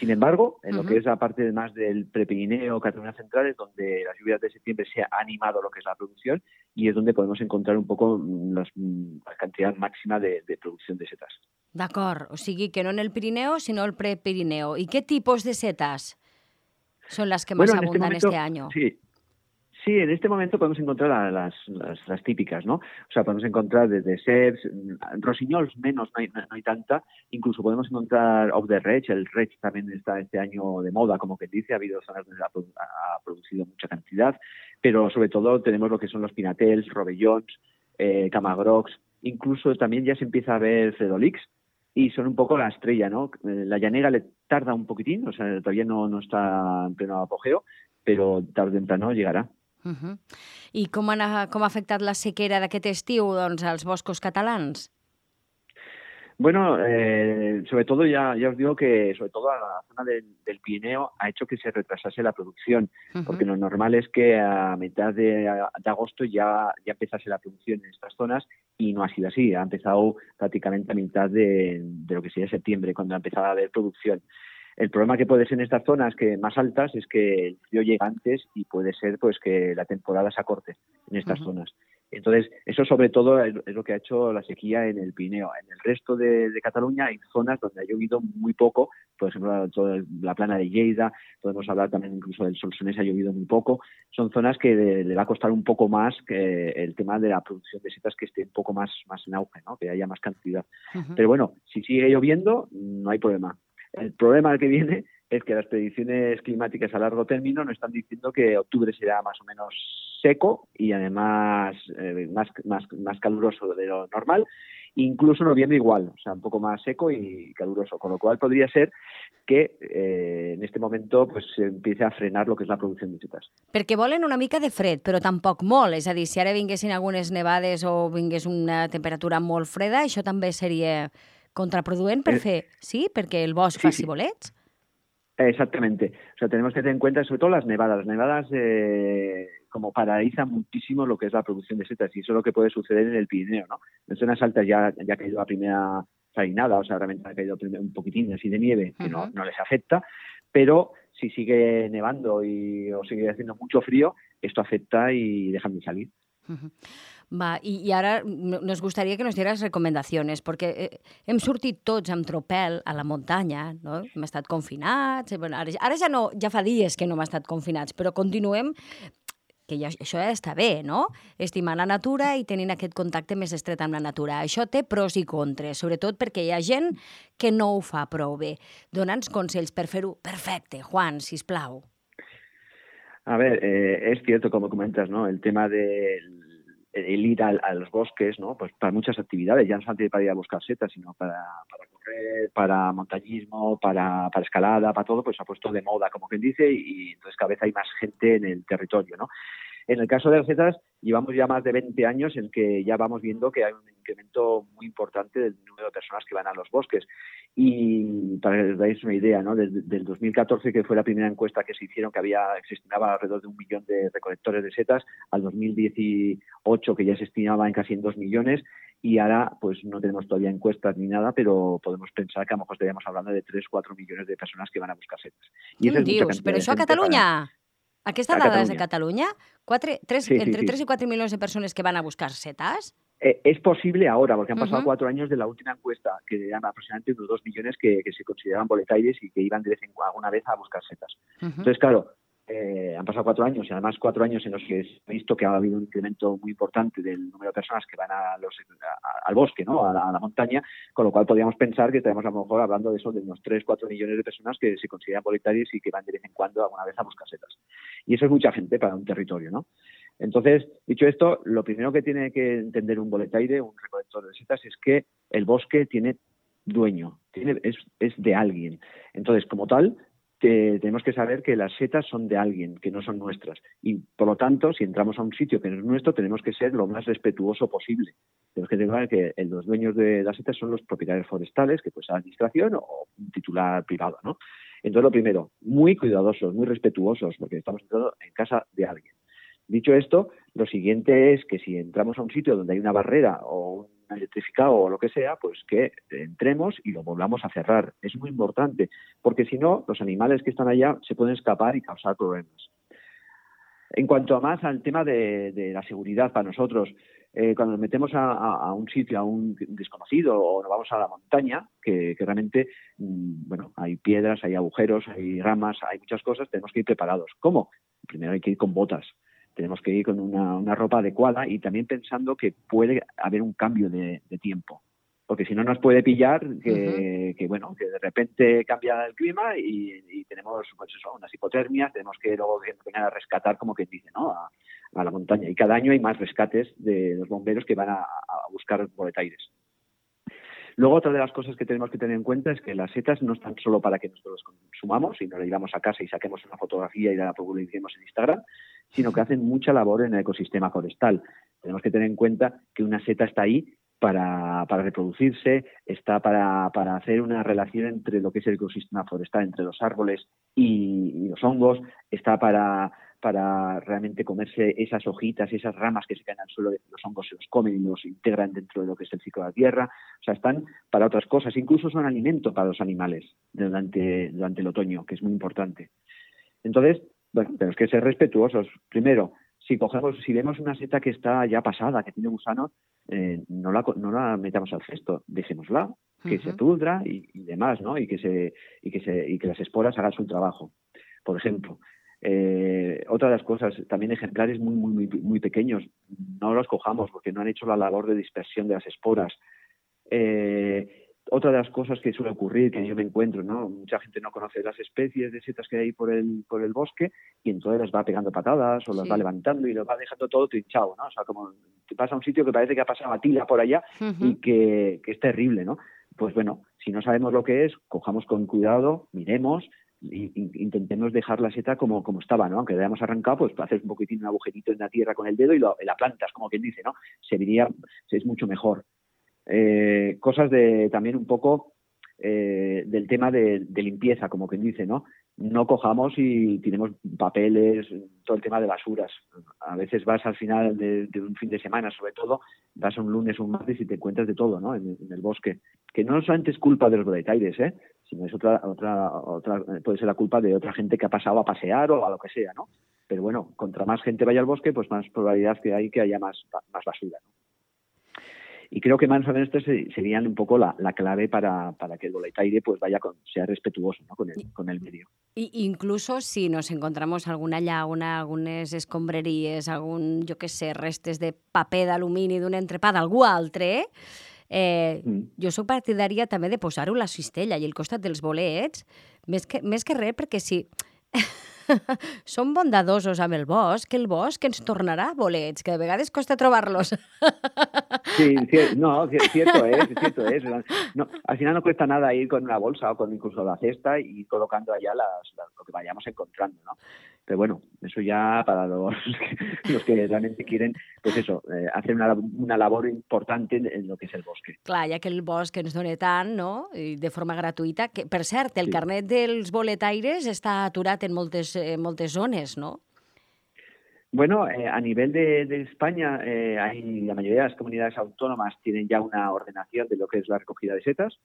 [SPEAKER 6] Sin embargo, en uh-huh. lo que es la parte más del Prepirineo, Cataluña Central, es donde las lluvias de septiembre se ha animado lo que es la producción y es donde podemos encontrar un poco los, la cantidad máxima de, de producción de setas.
[SPEAKER 2] D'acord, o sigui que no en el Pirineo, sino el Prepirineo. ¿Y qué tipos de setas son las que más bueno, abundan este, momento, este año?
[SPEAKER 6] Sí. Sí, en este momento podemos encontrar las, las, las típicas, ¿no? O sea, podemos encontrar desde ceps, rossinyols menos, no hay, no hay tanta, incluso podemos encontrar of the Reig, el Reig también está este año de moda, como que dice, ha habido zonas donde ha, ha producido mucha cantidad, pero sobre todo tenemos lo que son los pinatels, robellons, eh, camagrocs, incluso también ya se empieza a ver fredolix, y son un poco la estrella, ¿no? La llanera le tarda un poquitín, o sea, todavía no, no está en pleno apogeo, pero tarde o temprano llegarà.
[SPEAKER 2] Uh-huh. I com, ha, com ha afectat la sequera d'aquest estiu doncs, als boscos catalans?
[SPEAKER 6] Bueno, eh, sobre todo ya, ya os digo que sobre todo a la zona del, del Pirineo ha hecho que se retrasase la producción, uh-huh. porque lo normal es que a mitad de, de agosto ya, ya empezase la producción en estas zonas y no ha sido así, ha empezado prácticamente a mitad de, de lo que sería septiembre, cuando ha empezado a haber producción. El problema que puede ser en estas zonas que más altas es que el frío llega antes y puede ser pues que la temporada se acorte en estas uh-huh. zonas. Entonces, eso sobre todo es lo que ha hecho la sequía en el Pirineo. En el resto de, de Cataluña hay zonas donde ha llovido muy poco, por ejemplo, toda la plana de Lleida, podemos hablar también incluso del Solsonès, ha llovido muy poco. Son zonas que le, le va a costar un poco más que el tema de la producción de setas, que esté un poco más, más en auge, ¿no? Que haya más cantidad. Uh-huh. Pero bueno, si sigue lloviendo, no hay problema. El problema que viene es que las predicciones climáticas a largo término nos están diciendo que octubre será más o menos seco y además eh, más, más, más caluroso de lo normal, incluso noviembre igual, o sea, un poco más seco y caluroso, con lo cual podría ser que eh, en este momento pues se empiece a frenar lo que és la producció de setas.
[SPEAKER 2] Perquè volen una mica de fred, però tampoc molt, és a dir, si ara vinguessin algunes nevades o vingués una temperatura molt freda, això també seria contraproduent per fer, sí? Perquè el bosc sí, faci sí. bolets?
[SPEAKER 6] Exactamente. O sea, tenemos que tener en cuenta sobre todo las nevadas. Las nevadas eh, como paralizan muchísimo lo que es la producción de setas y eso es lo que puede suceder en el Pirineo, ¿no? En zonas altas ya, ya ha caído la primera farinada, o sea, realmente ha caído un poquitín así de nieve que uh-huh. no, no les afecta, pero si sigue nevando y, o sigue haciendo mucho frío, esto afecta y dejan de salir.
[SPEAKER 2] Uh-huh. Va, i, i ara nos gustaria que nos dieras recomanacions, perquè eh, hem sortit tots amb tropel a la muntanya, no? Hem estat confinats, bueno, ara, ara ja, no, ja fa dies que no hem estat confinats, però continuem, que ja, això ja està bé, no? Estimant la natura i tenint aquest contacte més estret amb la natura. Això té pros i contres, sobretot perquè hi ha gent que no ho fa prou bé. Dona'ns consells per fer-ho perfecte. Juan, sisplau.
[SPEAKER 6] A ver, eh, es cierto, como comentas, ¿no? El tema del el ir a, a los bosques, ¿no? Pues para muchas actividades, ya no solamente para ir a buscar setas, sino para, para correr, para montañismo, para, para escalada, para todo, pues se ha puesto de moda, como quien dice, y entonces cada vez hay más gente en el territorio, ¿no? En el caso de las setas, llevamos ya más de veinte años en que ya vamos viendo que hay un incremento muy importante del número de personas que van a los bosques. Y para que os dais una idea, ¿no? Desde del dos mil catorce, que fue la primera encuesta que se hicieron, que había se estimaba alrededor de un millón de recolectores de setas, al dos mil dieciocho, que ya se estimaba en casi en dos millones, y ahora pues no tenemos todavía encuestas ni nada, pero podemos pensar que a lo mejor estaríamos hablando de tres o cuatro millones de personas que van a buscar setas.
[SPEAKER 2] I eso dius? Però això a Catalunya? Para... Aquesta dada és de Catalunya? Quatre, tres, sí, entre sí, sí. tres y cuatro millones de personas que van a buscar setas?
[SPEAKER 6] Eh, es posible ahora, porque han pasado uh-huh. cuatro años de la última encuesta, que eran aproximadamente unos dos millones que, que se consideraban boletaires y que iban de vez en alguna vez a buscar setas. Uh-huh. Entonces, claro, eh, han pasado cuatro años y además cuatro años en los que se ha visto que ha habido un incremento muy importante del número de personas que van a los, a, al bosque, ¿no? A la, a la montaña, con lo cual podríamos pensar que estaremos a lo mejor hablando de eso, de unos tres, cuatro millones de personas que se consideran boletaires y que van de vez en cuando alguna vez a buscar setas. Y eso es mucha gente para un territorio, ¿no? Entonces, dicho esto, lo primero que tiene que entender un boletaire, un recolector de setas, es que el bosque tiene dueño, tiene, es, es de alguien. Entonces, como tal, te, tenemos que saber que las setas son de alguien, que no son nuestras. Y, por lo tanto, si entramos a un sitio que no es nuestro, tenemos que ser lo más respetuoso posible. Tenemos que tener que los dueños de las setas son los propietarios forestales, que puede ser la administración o un titular privado, ¿no? Entonces, lo primero, muy cuidadosos, muy respetuosos, porque estamos entrando en casa de alguien. Dicho esto, lo siguiente es que si entramos a un sitio donde hay una barrera o un electrificado o lo que sea, pues que entremos y lo volvamos a cerrar. Es muy importante, porque si no, los animales que están allá se pueden escapar y causar problemas. En cuanto a más al tema de, de la seguridad para nosotros, eh, cuando nos metemos a, a, a un sitio, a un desconocido o nos vamos a la montaña, que, que realmente, mmm, bueno, hay piedras, hay agujeros, hay ramas, hay muchas cosas, tenemos que ir preparados. ¿Cómo? Primero hay que ir con botas. Tenemos que ir con una, una ropa adecuada y también pensando que puede haber un cambio de, de tiempo. Porque si no nos puede pillar que, uh-huh. que, bueno, que de repente cambia el clima y, y tenemos pues eso, unas hipotermias, tenemos que luego venir a rescatar, como quien dice, ¿no? A, a la montaña. Y cada año hay más rescates de los bomberos que van a, a buscar boletaires. Luego, otra de las cosas que tenemos que tener en cuenta es que las setas no están solo para que nosotros las consumamos y nos las llevamos a casa y saquemos una fotografía y la publiquemos en Instagram, sino que hacen mucha labor en el ecosistema forestal. Tenemos que tener en cuenta que una seta está ahí para, para reproducirse, está para, para hacer una relación entre lo que es el ecosistema forestal, entre los árboles y, y los hongos, está para, para realmente comerse esas hojitas, esas ramas que se caen al suelo, los hongos se los comen y los integran dentro de lo que es el ciclo de la tierra. O sea, están para otras cosas, incluso son alimento para los animales durante, durante el otoño, que es muy importante. Entonces, bueno, tenemos que ser respetuosos. Primero, si cogemos, si vemos una seta que está ya pasada, que tiene gusanos, eh, no, la, no la metamos al cesto, dejémosla, que uh-huh. se pudra y, y demás, ¿no? Y que se y que se y que las esporas hagan su trabajo. Por ejemplo, eh, otra de las cosas, también ejemplares muy muy muy muy pequeños, no los cojamos porque no han hecho la labor de dispersión de las esporas. Eh, otra de las cosas que suele ocurrir, que yo me encuentro, ¿no? Mucha gente no conoce las especies de setas que hay por el por el bosque y entonces las va pegando patadas o las sí. va levantando y lo va dejando todo trinchado, ¿no? O sea, como te pasa a un sitio que parece que ha pasado a tila por allá uh-huh. y que, que es terrible, ¿no? Pues bueno, si no sabemos lo que es, cojamos con cuidado, miremos e intentemos dejar la seta como, como estaba, ¿no? Aunque la hayamos arrancado, pues haces un poquitín un agujerito en la tierra con el dedo y, lo, y la plantas, como quien dice, ¿no? Serviría, es mucho mejor. Eh, cosas de también un poco eh, del tema de, de limpieza, como quien dice, ¿no? No cojamos y tenemos papeles, todo el tema de basuras. A veces vas al final de, de un fin de semana, sobre todo, vas un lunes o un martes y te encuentras de todo, ¿no? En, en el bosque. Que no solamente es culpa de los boletaires, ¿eh? Sino es otra, otra, otra, puede ser la culpa de otra gente que ha pasado a pasear o a lo que sea, ¿no? Pero bueno, contra más gente vaya al bosque, pues más probabilidad que hay que haya más, más basura, ¿no? Y creo que más o menos estos serían un poco la, la clave para, para que el boletaire pues vaya con, sea respetuoso, ¿no? con, el, con el medio.
[SPEAKER 2] I, incluso si nos encontramos alguna llauna, algunes escombraries, algun, jo què sé, restes de paper d'alumini d'un entrepà d'algú altre, eh, mm. jo sóc partidària també de posar-ho a la cistella i al costat dels bolets, més que, més que res perquè si... Som bondadosos amb el bosc, que el bosc ens tornarà bolets, que de vegades costa trobar-los.
[SPEAKER 6] Sí, no, cierto es, cierto es. No, al final no cuesta nada ir con una bolsa o con incluso la cesta y colocando allá las, las, lo que vayamos encontrando, ¿no? Pero bueno, eso ya para los, los que realmente quieren, pues eso, eh, hacer una, una labor importante en, en lo que és el bosque.
[SPEAKER 2] Clar, ja que el bosc ens dona tant, no?, i de forma gratuïta, que, per cert, el sí. carnet dels boletaires està aturat en moltes, eh, moltes zones, ¿no?
[SPEAKER 6] Bueno, eh, a nivel de, de España, eh, hay, la mayoría de las comunidades autónomas tienen ya una ordenación de lo que es la recogida de setas,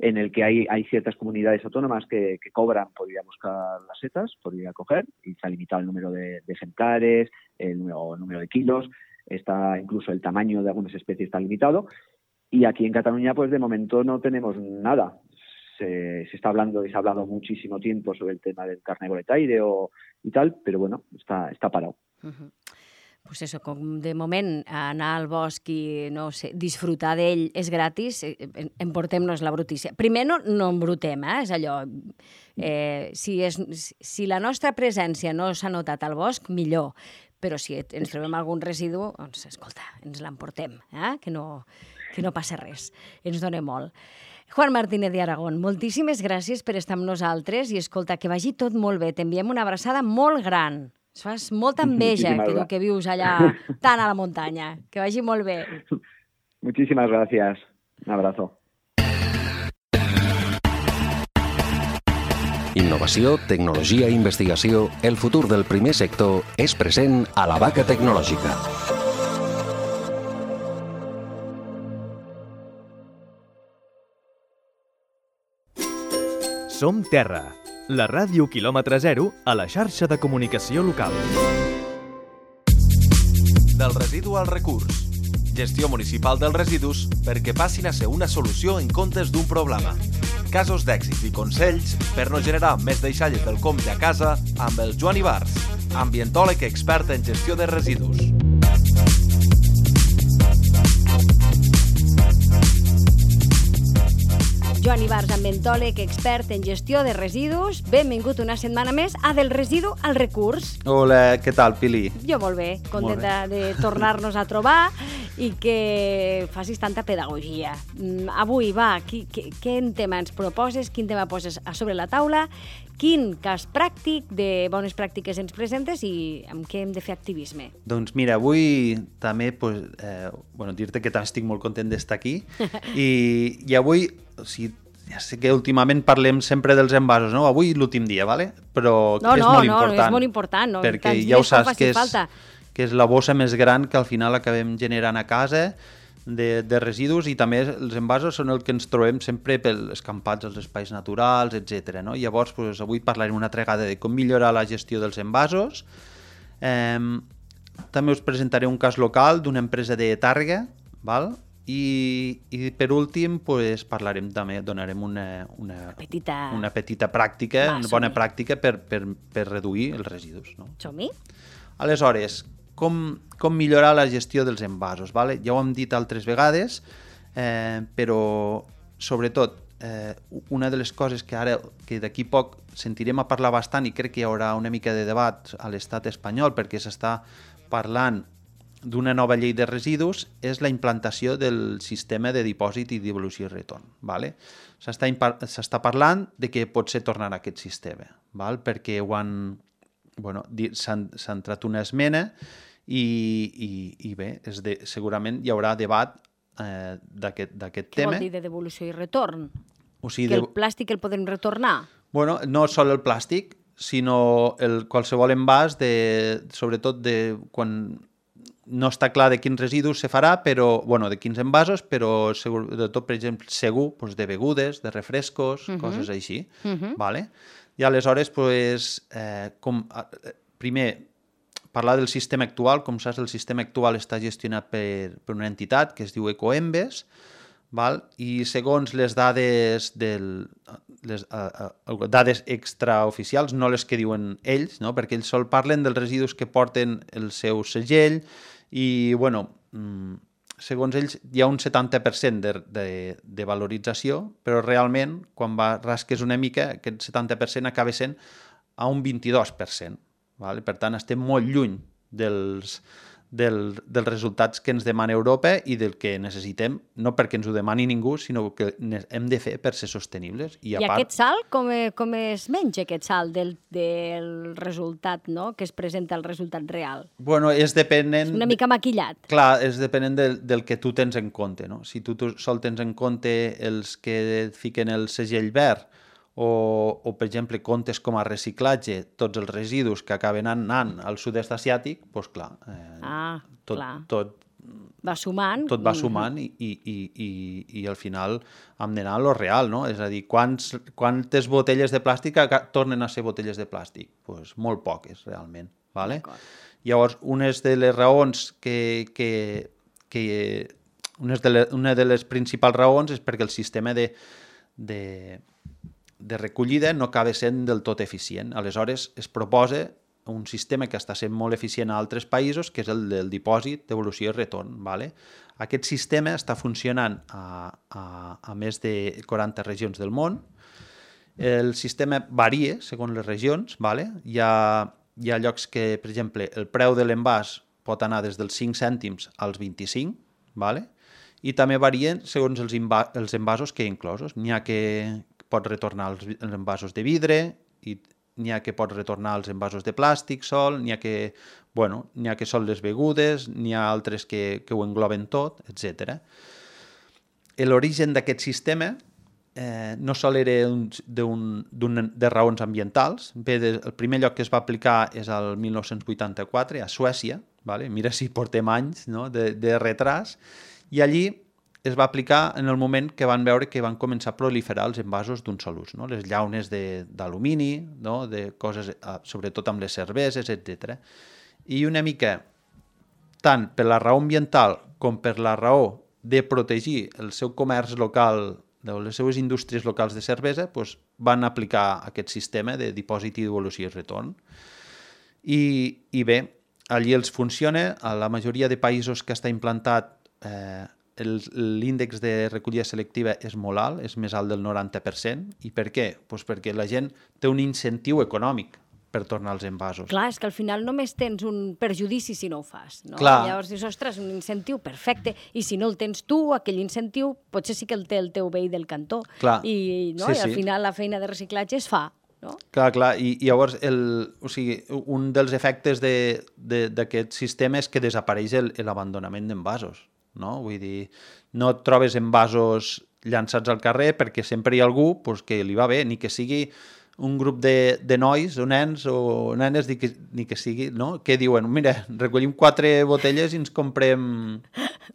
[SPEAKER 6] en el que hay, hay ciertas comunidades autónomas que, que cobran por ir a buscar las setas, por ir a coger, y está limitado el número de, de ejemplares, el número, el número de kilos, está incluso el tamaño de algunas especies está limitado, y aquí en Cataluña pues de momento no tenemos nada. Se, se está hablando y se ha hablado muchísimo tiempo sobre el tema del carnet boletaire o, y tal, pero bueno, está, está parado.
[SPEAKER 2] Uh-huh. Pues eso, com de moment anar al bosc i no sé, disfrutar d'ell és gratis, emportem-nos la brutícia. Primer no, no embrutem, eh? És allò, eh, si, és, si la nostra presència no s'ha notat al bosc, millor, però si ens trobem algun residu, doncs escolta, ens l'emportem, eh? que, no, que no passa res, ens dona molt. Juan Martínez de Aragón, moltíssimes gràcies per estar amb nosaltres i escolta, que vagi tot molt bé, t'enviem una abraçada molt gran. Es fas molta enveja que, tu, que vius allà tan a la muntanya. Que vagi molt bé.
[SPEAKER 6] Muchísimas gracias. Un abrazo.
[SPEAKER 5] Innovació, tecnologia i investigació, el futur del primer sector és present a la Vaca Tecnològica.
[SPEAKER 1] Som Terra, la ràdio quilòmetre zero a la xarxa de comunicació local.
[SPEAKER 7] Del residu al recurs. Gestió municipal dels residus perquè passin a ser una solució en comptes d'un problema. Casos d'èxits i consells per no generar més deixalles del compte a casa amb el Joan Ibars, ambientòleg expert en gestió de residus.
[SPEAKER 2] Joan Ibars, ambientòleg, expert en gestió de residus. Benvingut una setmana més a Del residu al recurs.
[SPEAKER 8] Hola, què tal, Pili?
[SPEAKER 2] Jo molt bé, contenta molt bé. de tornar-nos a trobar i que facis tanta pedagogia. Avui, va, qui, qui, quin tema ens proposes, quin tema poses a sobre la taula, quin cas pràctic de bones pràctiques ens presentes i amb què hem de fer activisme?
[SPEAKER 8] Doncs mira, avui també pues, eh, bueno, dir-te que també estic molt content d'estar aquí i, i avui, o sigui, ja sé que últimament parlem sempre dels envasos, no? Avui l'últim dia, ¿vale? Però
[SPEAKER 2] no,
[SPEAKER 8] és
[SPEAKER 2] no,
[SPEAKER 8] molt
[SPEAKER 2] no,
[SPEAKER 8] important.
[SPEAKER 2] No, és molt important. No?
[SPEAKER 8] Perquè
[SPEAKER 2] Tants
[SPEAKER 8] ja ho
[SPEAKER 2] dies com
[SPEAKER 8] saps
[SPEAKER 2] faci
[SPEAKER 8] que és,
[SPEAKER 2] falta.
[SPEAKER 8] que és la bossa més gran que al final acabem generant a casa de, de residus, i també els envasos són el que ens trobem sempre pels escampats als espais naturals, etcètera. No? Llavors, pues, avui parlarem una altra vegada de com millorar la gestió dels envasos. Eh, també us presentaré un cas local d'una empresa de Tàrrega, val? I, i per últim pues, parlarem també, donarem una, una,
[SPEAKER 2] petita...
[SPEAKER 8] una petita pràctica,
[SPEAKER 2] Va,
[SPEAKER 8] una bona pràctica per, per, per reduir els residus. No?
[SPEAKER 2] Som-hi?
[SPEAKER 8] Aleshores, com, com millorar la gestió dels envasos? Vale? Ja ho hem dit altres vegades, eh, però sobretot eh, una de les coses que ara, que d'aquí poc sentirem a parlar bastant, i crec que hi haurà una mica de debat a l'estat espanyol perquè s'està parlant d'una nova llei de residus, és la implantació del sistema de dipòsit i devolució i retorn. Vale? S'està, s'està parlant de que pot ser tornar a aquest sistema, val? Perquè ho han, bueno, s'ha entrat una esmena i, i, i bé, és de, segurament hi haurà debat eh, d'aquest tema.
[SPEAKER 2] Què vol dir de devolució i retorn?
[SPEAKER 8] O sigui,
[SPEAKER 2] que
[SPEAKER 8] de...
[SPEAKER 2] el plàstic el podem retornar?
[SPEAKER 8] Bueno, no sol el plàstic, sinó el, qualsevol envàs, de, sobretot de quan... No està clar de quins residus se farà, però, bueno, de quins envasos, però sobretot, per exemple, segur, doncs de begudes, de refrescos, uh-huh. coses així. Uh-huh. Vale? I aleshores, pues, eh, com, primer, parlar del sistema actual. Com saps, el sistema actual està gestionat per, per una entitat que es diu Ecoembes, val? I segons les dades del... les uh, uh, dades extraoficials, no les que diuen ells, no? Perquè ells sol parlen dels residus que porten el seu segell i, bueno, mm, segons ells hi ha un setanta per cent de, de, de valorització, però realment, quan va, rasques una mica, aquest setanta per cent acaba sent a un vint-i-dos per cent. Vale? Per tant, estem molt lluny dels... Del, dels resultats que ens demana Europa i del que necessitem, no perquè ens ho demani ningú, sinó que hem de fer per ser sostenibles. I, a
[SPEAKER 2] I
[SPEAKER 8] part...
[SPEAKER 2] aquest salt, com, com es menja aquest salt del, del resultat, no? Que es presenta el resultat real?
[SPEAKER 8] Bueno, és depenent...
[SPEAKER 2] És una mica maquillat.
[SPEAKER 8] Clar, és depenent del, del que tu tens en compte, no? Si tu, tu sol tens en compte els que et fiquen el segell verd, O, o, per exemple, comptes com a reciclatge tots els residus que acaben anant al sud-est asiàtic, doncs clar, eh,
[SPEAKER 2] ah,
[SPEAKER 8] tot,
[SPEAKER 2] clar.
[SPEAKER 8] tot
[SPEAKER 2] va sumant,
[SPEAKER 8] tot va sumant i, i, i, i, i al final hem d'anar a lo real, no? És a dir, quants, quantes botelles de plàstic tornen a ser botelles de plàstic? Pues molt poques, realment. Vale? Llavors, unes de les raons que... que, que unes de les, una de les principals raons és perquè el sistema de... de de recollida no acaba sent del tot eficient. Aleshores, es proposa un sistema que està sent molt eficient a altres països, que és el del dipòsit, devolució i retorn. Vale? Aquest sistema està funcionant a, a, a més de quaranta regions del món. El sistema varia segons les regions. Vale? Hi ha, hi ha llocs que, per exemple, el preu de l'envàs pot anar des dels cinc cèntims als vint-i-cinc, vale? I també varien segons els, els envasos que hi ha inclosos. N'hi ha que pot retornar els, els envasos de vidre, i n'hi ha que pot retornar els envasos de plàstic sol, n'hi ha que, bueno, n'hi ha que són les begudes, n'hi ha altres que, que ho engloben tot, etcètera. L'origen d'aquest sistema eh, no sol era un, un, de raons ambientals. Bé, de, el primer lloc que es va aplicar és el mil nou-cents vuitanta-quatre, a Suècia, vale? Mira si portem anys, no? de, de retras, i allí es va aplicar en el moment que van veure que van començar a proliferar els envasos d'un sol ús, no? Les llaunes d'alumini, no? De coses, sobretot amb les cerveses, etcètera. I una mica, tant per la raó ambiental com per la raó de protegir el seu comerç local, les seues indústries locals de cervesa, doncs van aplicar aquest sistema de dipòsit i devolució i retorn. I, i bé, allí els funciona, a la majoria de països que està implantat eh, l'índex de recollida selectiva és molt alt, és més alt del noranta per cent. I per què? Pues perquè la gent té un incentiu econòmic per tornar als envasos.
[SPEAKER 2] Clar, és que al final només tens un perjudici si no ho fas. No?
[SPEAKER 8] Clar.
[SPEAKER 2] Llavors dius, ostres, un incentiu perfecte, i si no el tens tu, aquell incentiu, potser sí que el té el teu veí del cantó.
[SPEAKER 8] Clar.
[SPEAKER 2] I, no?
[SPEAKER 8] Sí,
[SPEAKER 2] I al
[SPEAKER 8] sí.
[SPEAKER 2] final la feina de reciclatge es fa. No?
[SPEAKER 8] Clar, clar, i, i llavors el, o sigui, un dels efectes d'aquest de, sistema és que desapareix l'abandonament d'envasos. No? Vull dir, no et trobes envasos llançats al carrer perquè sempre hi ha algú pues, que li va bé, ni que sigui un grup de, de nois o nens o nenes, ni que, ni que sigui, no? Que diuen, mira, recollim quatre botelles i ens comprem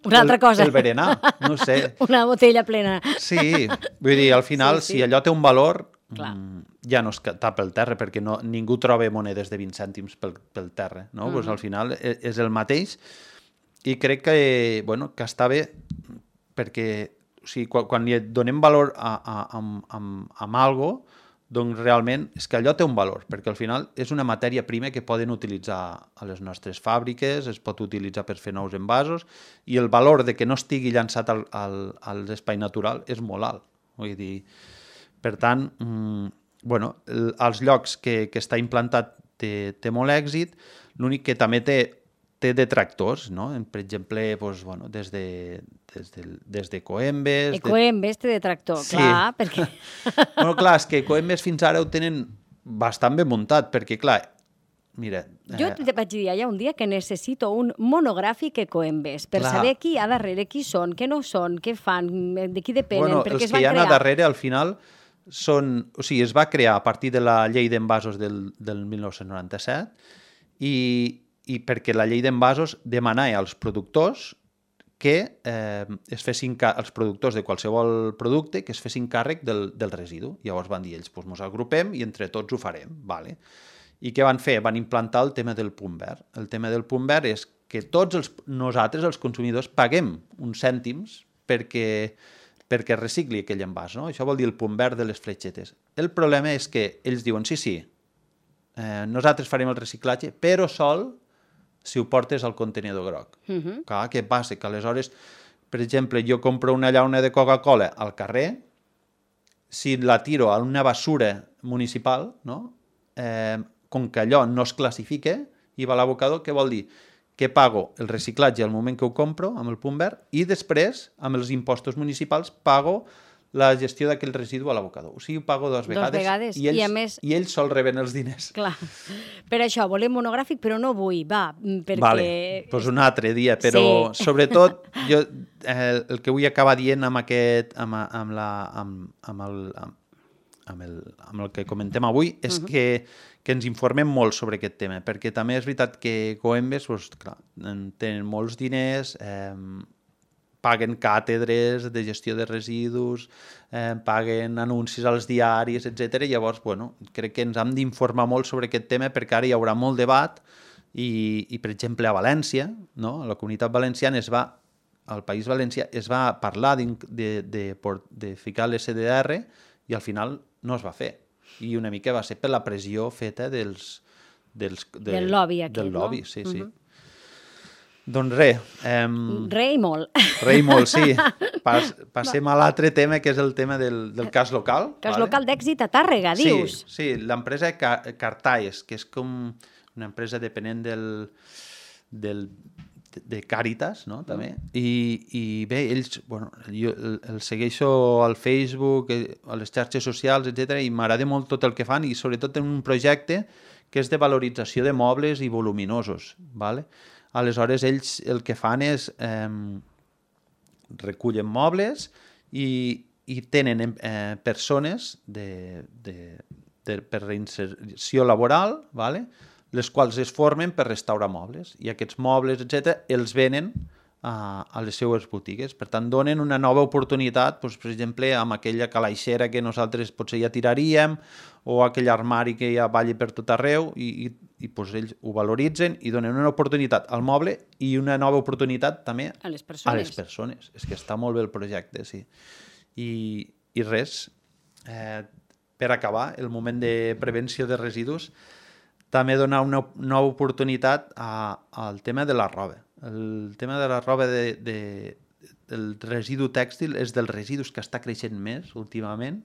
[SPEAKER 2] una altra cosa.
[SPEAKER 8] El berenar, no sé.
[SPEAKER 2] Una botella plena.
[SPEAKER 8] Sí, vull dir, al final, sí, sí. si allò té un valor, mm, ja no es tapa el terra, perquè no, ningú troba monedes de vint cèntims pel, pel terra, no? Uh-huh. Pues al final és el mateix i crec que, bueno, que està bé perquè o sigui, quan, quan li donem valor a, a, a, a, a, a algo, doncs realment és que allò té un valor, perquè al final és una matèria prima que poden utilitzar a les nostres fàbriques, es pot utilitzar per fer nous envasos, i el valor de que no estigui llançat al, al, a l'espai natural és molt alt. Vull dir, per tant, mmm, bueno, el, als llocs que, que està implantat té, té molt èxit, l'únic que també té té detractors, no? Per exemple, doncs, bueno, des de, des de, des de Coembes...
[SPEAKER 2] De Coembes té detractor, sí. Clar, perquè...
[SPEAKER 8] bueno, clar, és que Coembes fins ara ho tenen bastant ben muntat, perquè, clar, mira...
[SPEAKER 2] Jo eh... te vaig dir allà un dia que necessito un monogràfic Coembes per clar. Saber qui hi ha darrere, qui són, què no són, què fan, de qui depenen,
[SPEAKER 8] bueno,
[SPEAKER 2] per què es van
[SPEAKER 8] crear. Els que hi ha
[SPEAKER 2] crear.
[SPEAKER 8] a darrere, al final, són... O sigui, es va crear a partir de la llei d'envasos del, del mil nou-cents noranta-set i... i perquè la llei d'envasos demanava als productors que eh, es fessin els productors de qualsevol producte que es fessin càrrec del, del residu. Llavors van dir ells, doncs ens agrupem i entre tots ho farem. Vale. I què van fer? Van implantar el tema del punt verd. El tema del punt verd és que tots els, nosaltres, els consumidors, paguem uns cèntims perquè, perquè recicli aquell envàs. No? Això vol dir el punt verd de les fletxetes. El problema és que ells diuen, sí, sí, eh, nosaltres farem el reciclatge, però sol si ho portes al contenidor groc. Uh-huh. Clar, què passa? Que aleshores, per exemple, jo compro una llauna de Coca-Cola al carrer, si la tiro a una basura municipal, no? eh, com que allò no es classifica i va a l'abocador, què vol dir? Que pago el reciclatge al moment que ho compro, amb el punt verd, i després, amb els impostos municipals, pago la gestió d'aquell residu a l'abocador. O sigui, ho pago dues vegades,
[SPEAKER 2] dos vegades.
[SPEAKER 8] I, ells,
[SPEAKER 2] I, a més...
[SPEAKER 8] i ells sol reben els diners.
[SPEAKER 2] Clar. Per això, volem monogràfic, però no vull, va, perquè...
[SPEAKER 8] Vale, doncs un altre dia, però sí. Sobretot jo eh, el que vull acabar dient amb aquest, amb, amb, la, amb, amb, el, amb, amb, el, amb el que comentem avui és uh-huh. que, que ens informem molt sobre aquest tema, perquè també és veritat que Coembes, doncs, clar, tenen molts diners, eh, paguen càtedres de gestió de residus, eh, paguen anuncis als diaris, etcètera. Llavors, bueno, crec que ens hem d'informar molt sobre aquest tema perquè ara hi haurà molt debat i, i per exemple, a València, no? A la Comunitat Valenciana es va, al País Valencià, es va parlar de, de, de, de ficar l'S D R i al final no es va fer. I una mica va ser per la pressió feta dels... dels de,
[SPEAKER 2] del lobby aquest,
[SPEAKER 8] del lobby,
[SPEAKER 2] no?
[SPEAKER 8] sí, sí.
[SPEAKER 2] Uh-huh.
[SPEAKER 8] Doncs res. Eh,
[SPEAKER 2] re i molt.
[SPEAKER 8] Re i molt, sí. Pas, passem a l'altre tema, que és el tema del, del cas local.
[SPEAKER 2] Cas
[SPEAKER 8] vale?
[SPEAKER 2] local d'èxit a Tàrrega, dius?
[SPEAKER 8] Sí, sí, l'empresa Cartaes, que és com una empresa dependent del, del, de Càritas, no? També. I, i bé, ells, bueno, jo el, el segueixo al Facebook, a les xarxes socials, etcètera, i m'agrada molt tot el que fan i sobretot en un projecte que és de valorització de mobles i voluminosos, vale? Aleshores, ells el que fan és eh, recullen mobles i, i tenen eh, persones de, de, de, per reinserció laboral, vale? Les quals es formen per restaurar mobles. I aquests mobles, etcètera, els venen a, a les seues botigues. Per tant, donen una nova oportunitat, doncs, per exemple, amb aquella calaixera que nosaltres potser ja tiraríem o aquell armari que ja balli per tot arreu i, i, i doncs, ells ho valoritzen i donen una oportunitat al moble i una nova oportunitat també
[SPEAKER 2] a les persones.
[SPEAKER 8] A les persones. És que està molt bé el projecte, sí. I, i res, eh, per acabar, el moment de prevenció de residus, també donar una nova oportunitat a, al tema de la roba. El tema de la roba de, de, del residu tèxtil és dels residus que està creixent més últimament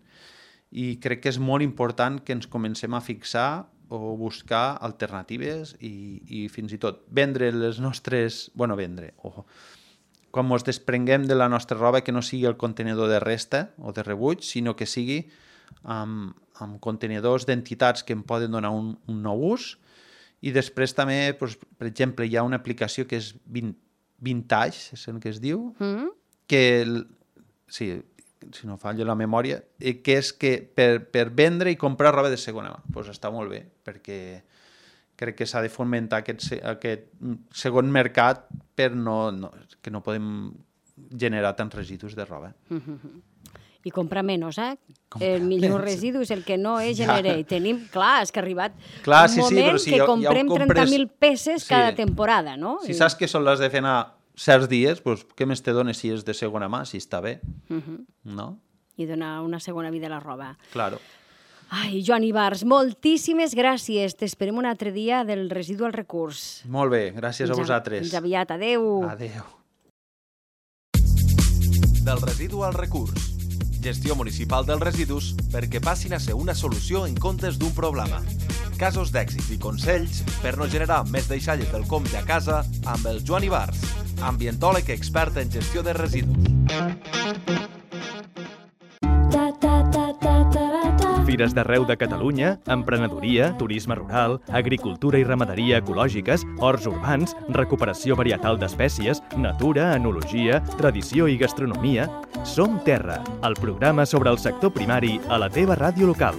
[SPEAKER 8] i crec que és molt important que ens comencem a fixar o buscar alternatives i, i fins i tot vendre les nostres... bueno, vendre, o quan ens desprenguem de la nostra roba que no sigui el contenidor de resta o de rebuig, sinó que sigui amb, amb contenidors d'entitats que em poden donar un, un nou ús. I després també, doncs, per exemple, hi ha una aplicació que és Vintage, és el que es diu, mm. que sí, si no falla la memòria, eh, que és que per, per vendre i comprar roba de segona mà. Doncs pues està molt bé, perquè crec que s'ha de fomentar aquest, aquest segon mercat per no, no, que no podem generar tants residus de roba.
[SPEAKER 2] Mm-hmm. I comprar menys, eh? Comprar el millor menys. Residu és el que no es genera. I tenim, clar, és que ha arribat clar, un sí, moment sí, si que ja, comprem ja compres... trenta mil peces sí. cada temporada, no?
[SPEAKER 8] Si I... saps que són les de fer anar certs dies, doncs què més te dones si és de segona mà, si està bé, uh-huh. no?
[SPEAKER 2] I donar una segona vida a la roba.
[SPEAKER 8] Claro.
[SPEAKER 2] Ai, Joan Ibars, moltíssimes gràcies. T'esperem un altre dia del residu al recurs.
[SPEAKER 8] Molt bé, gràcies fins a vosaltres.
[SPEAKER 2] Fins aviat, adeu.
[SPEAKER 8] Adeu.
[SPEAKER 7] Del residu al recurs. Gestió municipal dels residus perquè passin a ser una solució en comptes d'un problema. Casos d'èxits i consells per no generar més deixalles del compte a casa amb el Joan Ibars, ambientòleg expert en gestió de residus.
[SPEAKER 1] Fires d'arreu de Catalunya, emprenedoria, turisme rural, agricultura i ramaderia ecològiques, horts urbans, recuperació varietal d'espècies, natura, enologia, tradició i gastronomia. Som Terra, el programa sobre el sector primari a la teva ràdio local.